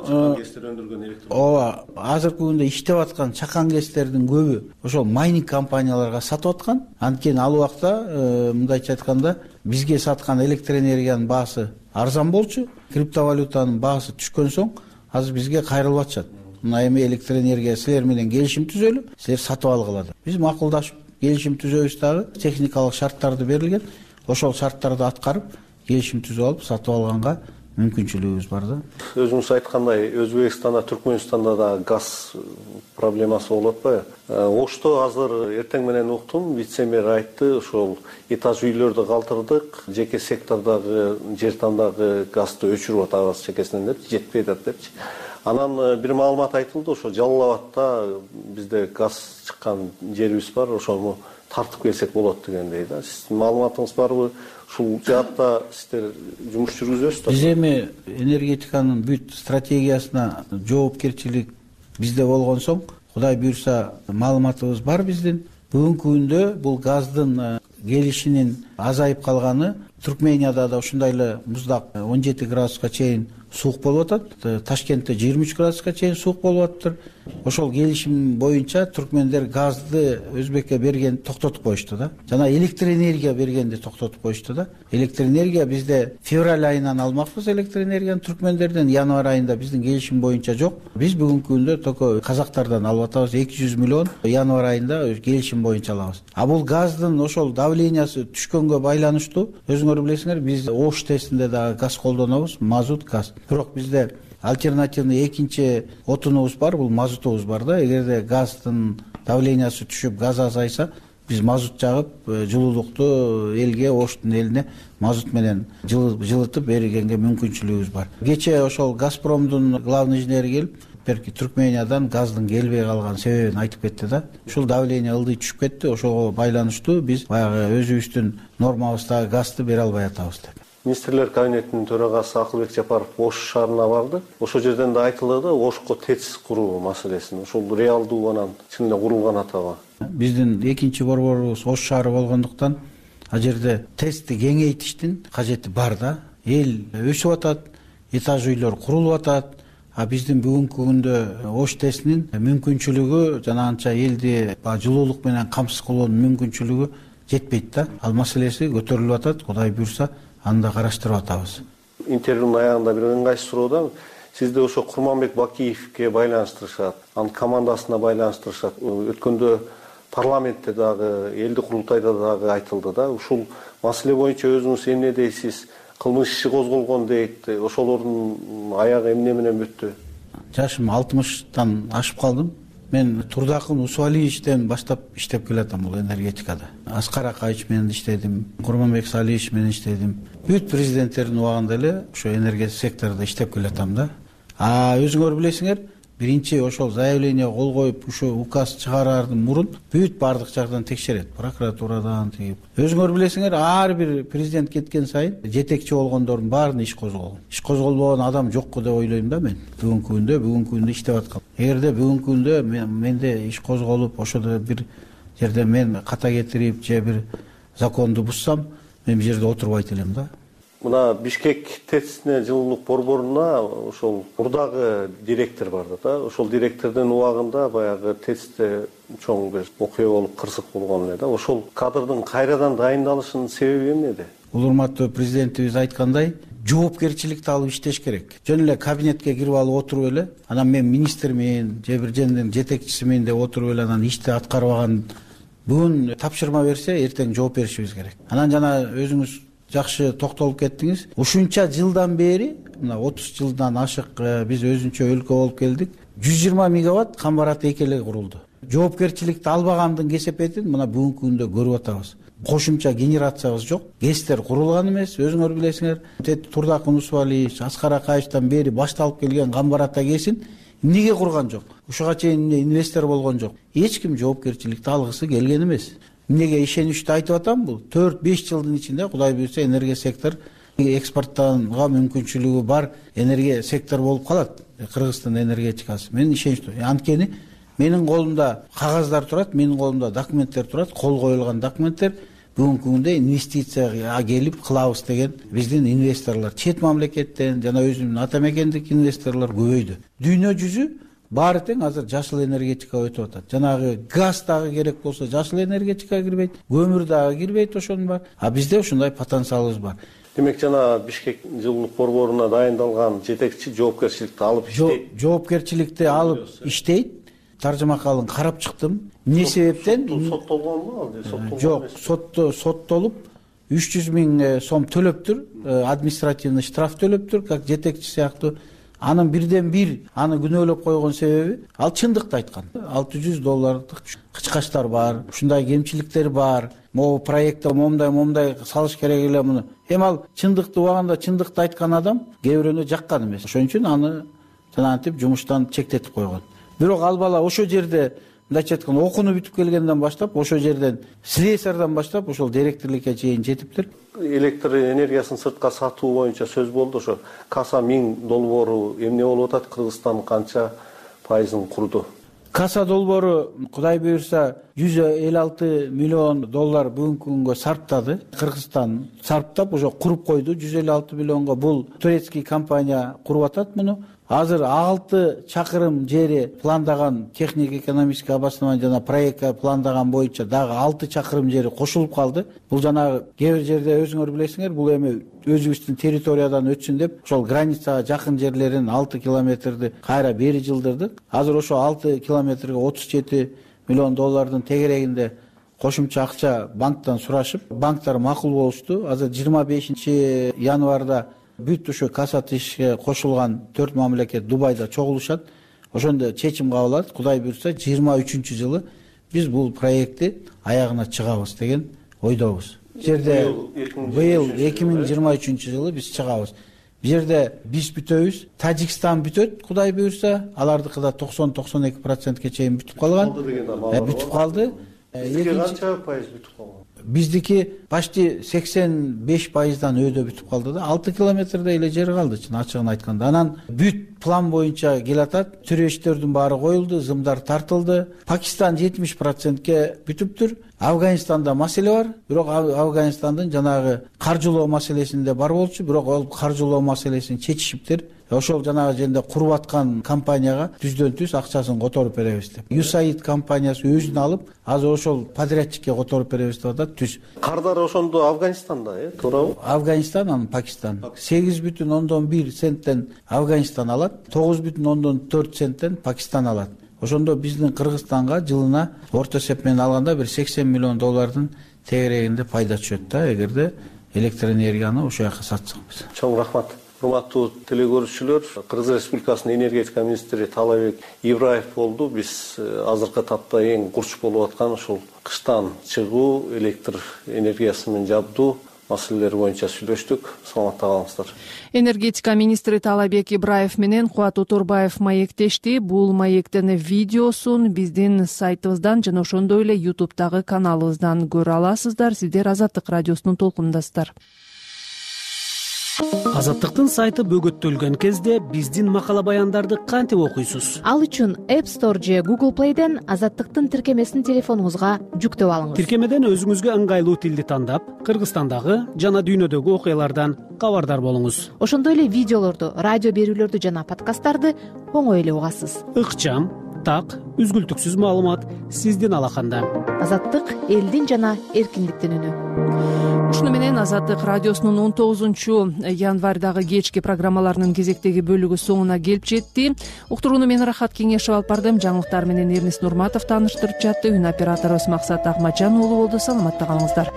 S12: ооба, азыркы күндө иштеп аткан чакан кестердин көбү ошол майнинг компанияларга сатып аткан. Анткени ал убакта мындайча айтканда бизге саткан электр энергиянын баасы арзан болчу, криптовалютанын баасы түшкөн соң азыр бизге кайрылып атышат. Мына эми электр энергия силер менен келишим түзөлүп, силер сатып алгыла деп. Биз макулдашып келишим түзөбүз дагы, техникалык шарттарды берилген. Ошол шарттарды аткарып, келишим түзүп алып сатып алганга мүмкүнчүлүгүбүз бар да.
S11: Өзүңүз айткандай, Өзбекстанда, Түркмөнстанда да газ проблемасы болуп атпайбы? Ошто азыр эртең менен уктум, вице-мэр айтты, ошол этаж үйлөрдү калтырдык, жеке сектордогу, жер тандагы газды өчүрүп атабыз чекесинен деп, жетпей атат депчи. Анан бир маалымат айтылды, ошо Жалал Абадта бизде газ чыккан жерибиз бар, ошону тартып келсек болот дегендей да. Сиздин маалыматыңыз барбы? Ушул жаатта сиздер жумуш жүргүзөсүздөр?
S12: Биз эми энергетиканын бүт стратегиясына жоопкерчилик бизде болгон соң, Кудай буйрса маалыматыбыз бар биздин. Бүгүнкү күндө бул газдын келишинин азайып калганы, Түркменияда да ушундай эле муздак он жети градуска чейин суук болуп атат. Ташкентте жыйырма үч градуска чейин суук болуп атыптыр. Ошол келишим боюнча түркмендер газды Өзбекке бергенди токтотуп коюшту да. Жана электр энергия бергенди токтотуп коюшту да. Электр энергия бизде февраль айынан алмакпыз электр энергияны түркмендерден, январь айында биздин келишим боюнча жок. Биз бүгүнкү күндө только казактардан алып атабыз, эки жүз миллион январь айында келишим боюнча алабыз. А бул газдын ошол давлениясы түшкөнгө байланыштуу, өзүңөр билесиңер, биз Ош тестинде дагы газ колдонобуз, мазут, газ. Бирок бизде альтернативный экинчи отунубуз бар, бул мазутубуз бар да. Эгерде газдын давлениясы түшүп, газ азайса, биз мазут жагып, жылуулукту элге, Оштун элине мазут менен жылытып бергенге мүмкүнчүлүгүбүз бар. Кече ошол Газпромдун главный инженери келип, берки Түркмениyaдан газдын келбей калган себебин айтып кетти да. Ушул давление ылдый түшүп кетти, ошого байланыштуу биз баягы өзүбүздүн нормабыздагы газды бере албай атабыз деп.
S11: Министрлер кабинетинин төрагасы Акылбек Жапаров Ош шаарына барды. Ошол жерден да айтылды да, Ошко ТЭЦ куруу маселесин. Ошол реалдуу анан чын эле курулган атабы?
S12: Биздин экинчи борборубуз Ош шаары болгондуктан, ал жерде ТЭЦти кеңейтиштин кажети бар да. Эл өсүп атат, этаж үйлөр курулуп атат. А биздин бүгүнкү күндө Ош ТЭЦинин мүмкүнчүлүгү жана анча элди жылуулук менен камсыз кылуунун мүмкүнчүлүгү жетпейт да. Ал маселеси көтөрүлүп атат. Кудай буйрса, аны да караштырып атабыз.
S11: Интервьюнун аягында бир ыңгайсыз суроода, сизди ошо Курманбек Бакиевке байланыштырышат, анын командасына байланыштырышат. Өткөндө парламентте дагы, элдик курултайда дагы айтылды да. Ушул маселе боюнча өзүңүз эмне дейсиз? Кылмыш иши козголгон дейт. Ошолордун аягы эмне менен бүттү?
S12: Жашым алтымыштан ашып калдым. Мен Турдакын Усуалиевичтен баштап иштеп келатам бул энергетикада. Аскар Акаевич менен иштедим, Курманбек Салиевич менен иштедим. Бүт президенттердин убагында эле ошо энергетика секторунда иштеп келатам да. А өзүңөр билесиңер, биринчи ошол заявление кол коюп ушу указ чыгараардан мурун бүт баардык жактан текшерет, прокуратурадан тигип. Өзүңөр билесиңер, ар бир президент кеткен сайын жетекчи болгондордун баарына иш козголгон. Иш козголбогон адам жокку деп ойлойм да мен. Бүгүнкү күндө бүгүнкү күндө иштеп аткан. Эгерде бүгүнкү күндө менде иш козголуп, ошодо бир жерде мен ката кетирип же бир законду бузсам, мен бул жерде отурбайт элем да.
S11: Мына Бишкек ТЭЦне жылуулук борборуна ошол мурдагы директор бар да. Ошол директордун убагында баягы ТЭЦте чоң бир окуя болуп кырсык болгон эле да. Ошол кадрдын кайрадан дайындалышынын себеби эмнеде?
S12: Бул урматтуу президентибиз айткандай, жоопкерчиликти алып иштеш керек. Жөн эле кабинетке кирип алып отуруп эле, анан мен министрмин, же бир жердин жетекчисимин деп отуруп эле анан ишти аткарбаган, бүгүн тапшырма берсе, эртең жооп беришибиз керек. Анан жана өзүңүз жакшы токтолуп кеттиңиз. Ушунча жылдан бери, мына отуз жылдан ашык биз өзүнчө өлкө болуп келдик. жүз жыйырма мегаватт Камбарат экеле курулду. Жоопкерчиликти албагандын кесепетин мына бүгүнкү күндө көрүп атабыз. Кошумча генерациябыз жок. ГЭСтер курулган эмес, өзүңөр билесиңер. Турдак Унусвалиевич, Аскар Акаевичтен бери башталып келген Камбарат эгесин эмнеге курган жок? Ушуга чейин инвестор болгон жок. Эч ким жоопкерчиликти алгысы келген эмес. Эмнеге ишеничти айтып атам, бул төрт беш жылдын ичинде Кудай буйрса энергия сектор экспорттанга мүмкүнчүлүгү бар энергия сектор болуп калат. Кыргызстан энергетикасы. Мен ишеничтүү. Анткени менин колумда кагаздар турат, менин колумда документтер турат, кол коюлган документтер. Бүгүнкү күндө инвестицияга келип кылабыз деген биздин инвесторлор чет мамлекеттен жана өзүмдүн ата мекендик инвесторлор көбөйдү. Дүйнө жүзү баары тең азыр жашыл энергетикага өтүп атат. Жанагы газ дагы керек болсо жашыл энергетикага кирбейт, көмүр дагы кирбейт, ошонун бар. А бизде ушундай потенциалыбыз бар.
S11: Демек жана Бишкек жылуулук борборуна дайындалган жетекчи жоопкерчиликти алып иштейт.
S12: Жоопкерчиликти алып иштейт. Таржымакалын карап чыктым. Эмне себептен?
S11: Соттолгонбу алды? Соттолгон.
S12: Жок, сотто соттолуп үч жүз миң сом төлөптүр, административный штраф төлөптүр, как жетекчи сыяктуу. Анын бирден бир аны күнөөлөп койгон себеби ал чындыкты айткан. алты жүз доллардык кычкачтар бар, ушундай кемчиликтер бар. Могу проектте момундай момундай салыш керек эле муну. Эми ал чындыкты убагында чындыкты айткан адам кээ бирөөнө жаккан эмес. Ошон үчүн аны жанагынтип жумуштан чектетип койгон. Бирок ал бала ошо жерде мындайча айтканда окууну бүтүп келгенден баштап, ошо жерден слесардан баштап ошол директорлукка чейин жетиптир.
S11: Электр энергиясын сыртка сатуу боюнча сөз болду. Ошо Каса миң долбоору эмне болуп атат? Кыргызстан канча пайызын курду?
S12: Каса долбоору Кудай буйрса жүз элүү алты миллион доллар бүгүнкү күнгө сарптады. Кыргызстан сарптап ошо куруп койду. жүз элүү алты миллионго бул турецкий компания куруп атат муну. Азыр алты чакырым жери пландаган техник-экономический обоснование жана проектка пландаган боюнча дагы алты чакырым жери кошулуп калды. Бул жанагы кээ бир жерде өзүңөр билесиңер, бул эми өзүбүздүн территориядан өтсүн деп ошол границага жакын жерлерин алты километрди кайра бери жылдырдык. Азыр ошо алты километрге отуз жети миллион доллардын тегерегинде кошумча акча банктан сурашып, банктар макул болушту. Азыр жыйырма бешинчи январда бүт ушу Касат ишке кошулган төрт мамлекет Дубайда чогулушат. Ошондо чечим кабыл алат. Кудай буйрса жыйырма үчүнчү жылы биз бул проектти аягына чыгабыз деген ойдобуз. Жерде быйыл эки миң жыйырма үчүнчү жылы биз чыгабыз. Бу жерде биз бүтөбүз, Тажикстан бүтөт, Кудай буйрса, алардыкы да токсон токсон эки процентке чейин бүтүп калган. Бүтүп калды.
S11: Бизге канча пайыз бүтүп калган?
S12: Биздики почти сексен беш пайыздан өйдө бүтүп калды да. алты километрдей эле жер калды, чын ачыгын айтканда. Анан бүт план боюнча келатат. Түрештердин баары коюлду, зымдар тартылды. Пакистан жетимиш процентке бүтүптүр. Афганистанда маселе бар, бирок Афганистандын жанагы каржылоо маселесинде бар болчу, бирок ал каржылоо маселесин чечишиптир. Ошол жанагы жерде куруп аткан компанияга түздөн түз акчасын которуп беребиз деп. Юсаид компаниясы өзүн алып, азыр ошол подрядчикке которуп беребиз деп атат. Түз.
S11: Кардар ошондо Афганистанда, э, туурабы?
S12: Афганистан, анан Пакистан. сегиз бүтүн ондон бир центтен Афганистан алат, тогуз бүтүн ондон төрт центтен Пакистан алат. Ошондо биздин Кыргызстанга жылына орто эсеп менен алганда бир сексен миллион доллардын тегерегинде пайда түшөт да, эгерде электр энергияны ошол жака сатсак биз.
S11: Чоң рахмат. Урматтуу телекөрүүчүлөр, Кыргыз Республикасынын энергетика министри Таалайбек Ибраев болду. Биз азыркы тапта эң курч болуп аткан ушул кыштан чыгуу, электр энергиясы менен жабдуу маселелер боюнча сүйлөштүк. Саламатта калыңыздар.
S2: Энергетика министри Таалайбек Ибраев менен Кубат Оторбаев маектешти. Бул маектин видеосун биздин сайтыбыздан жана ошондой эле ютубтагы каналыбыздан көрө аласыздар. Сиздер Азаттык радиосунун толкунундасыздар.
S23: Азаттыктын сайты бөгөттөлгөн кезде биздин макала баяндарды кантип окуйсуз?
S26: Ал үчүн App Store же Google Play'ден Азаттыктын тиркемесин телефонуңузга жүктөп алыңыз.
S23: Тиркемеден өзүңүзгө ыңгайлуу тилди тандап, Кыргызстандагы жана дүйнөдөгү окуялардан кабардар болуңуз.
S26: Ошондой эле видеолорду, радио берүүлөрдү жана подкасттарды оңой эле угасыз.
S23: Ыкчам, так, үзгүлтүксүз маалымат сиздин алаканда.
S26: Азаттык элдин жана эркиндиктин үнү.
S2: Ушуну менен Азаттык радиосунун он тогузунчу январдагы кечки программаларынын кезектеги бөлүгү соңуна келип жетти. Уктурууну мен Рахат Кеңешев алып бардым. Жаңылыктар менен Эрнис Нурматов тааныштырып жатты. Үн операторубуз Максат Акматжан уулу болду. Саламатта калыңыздар.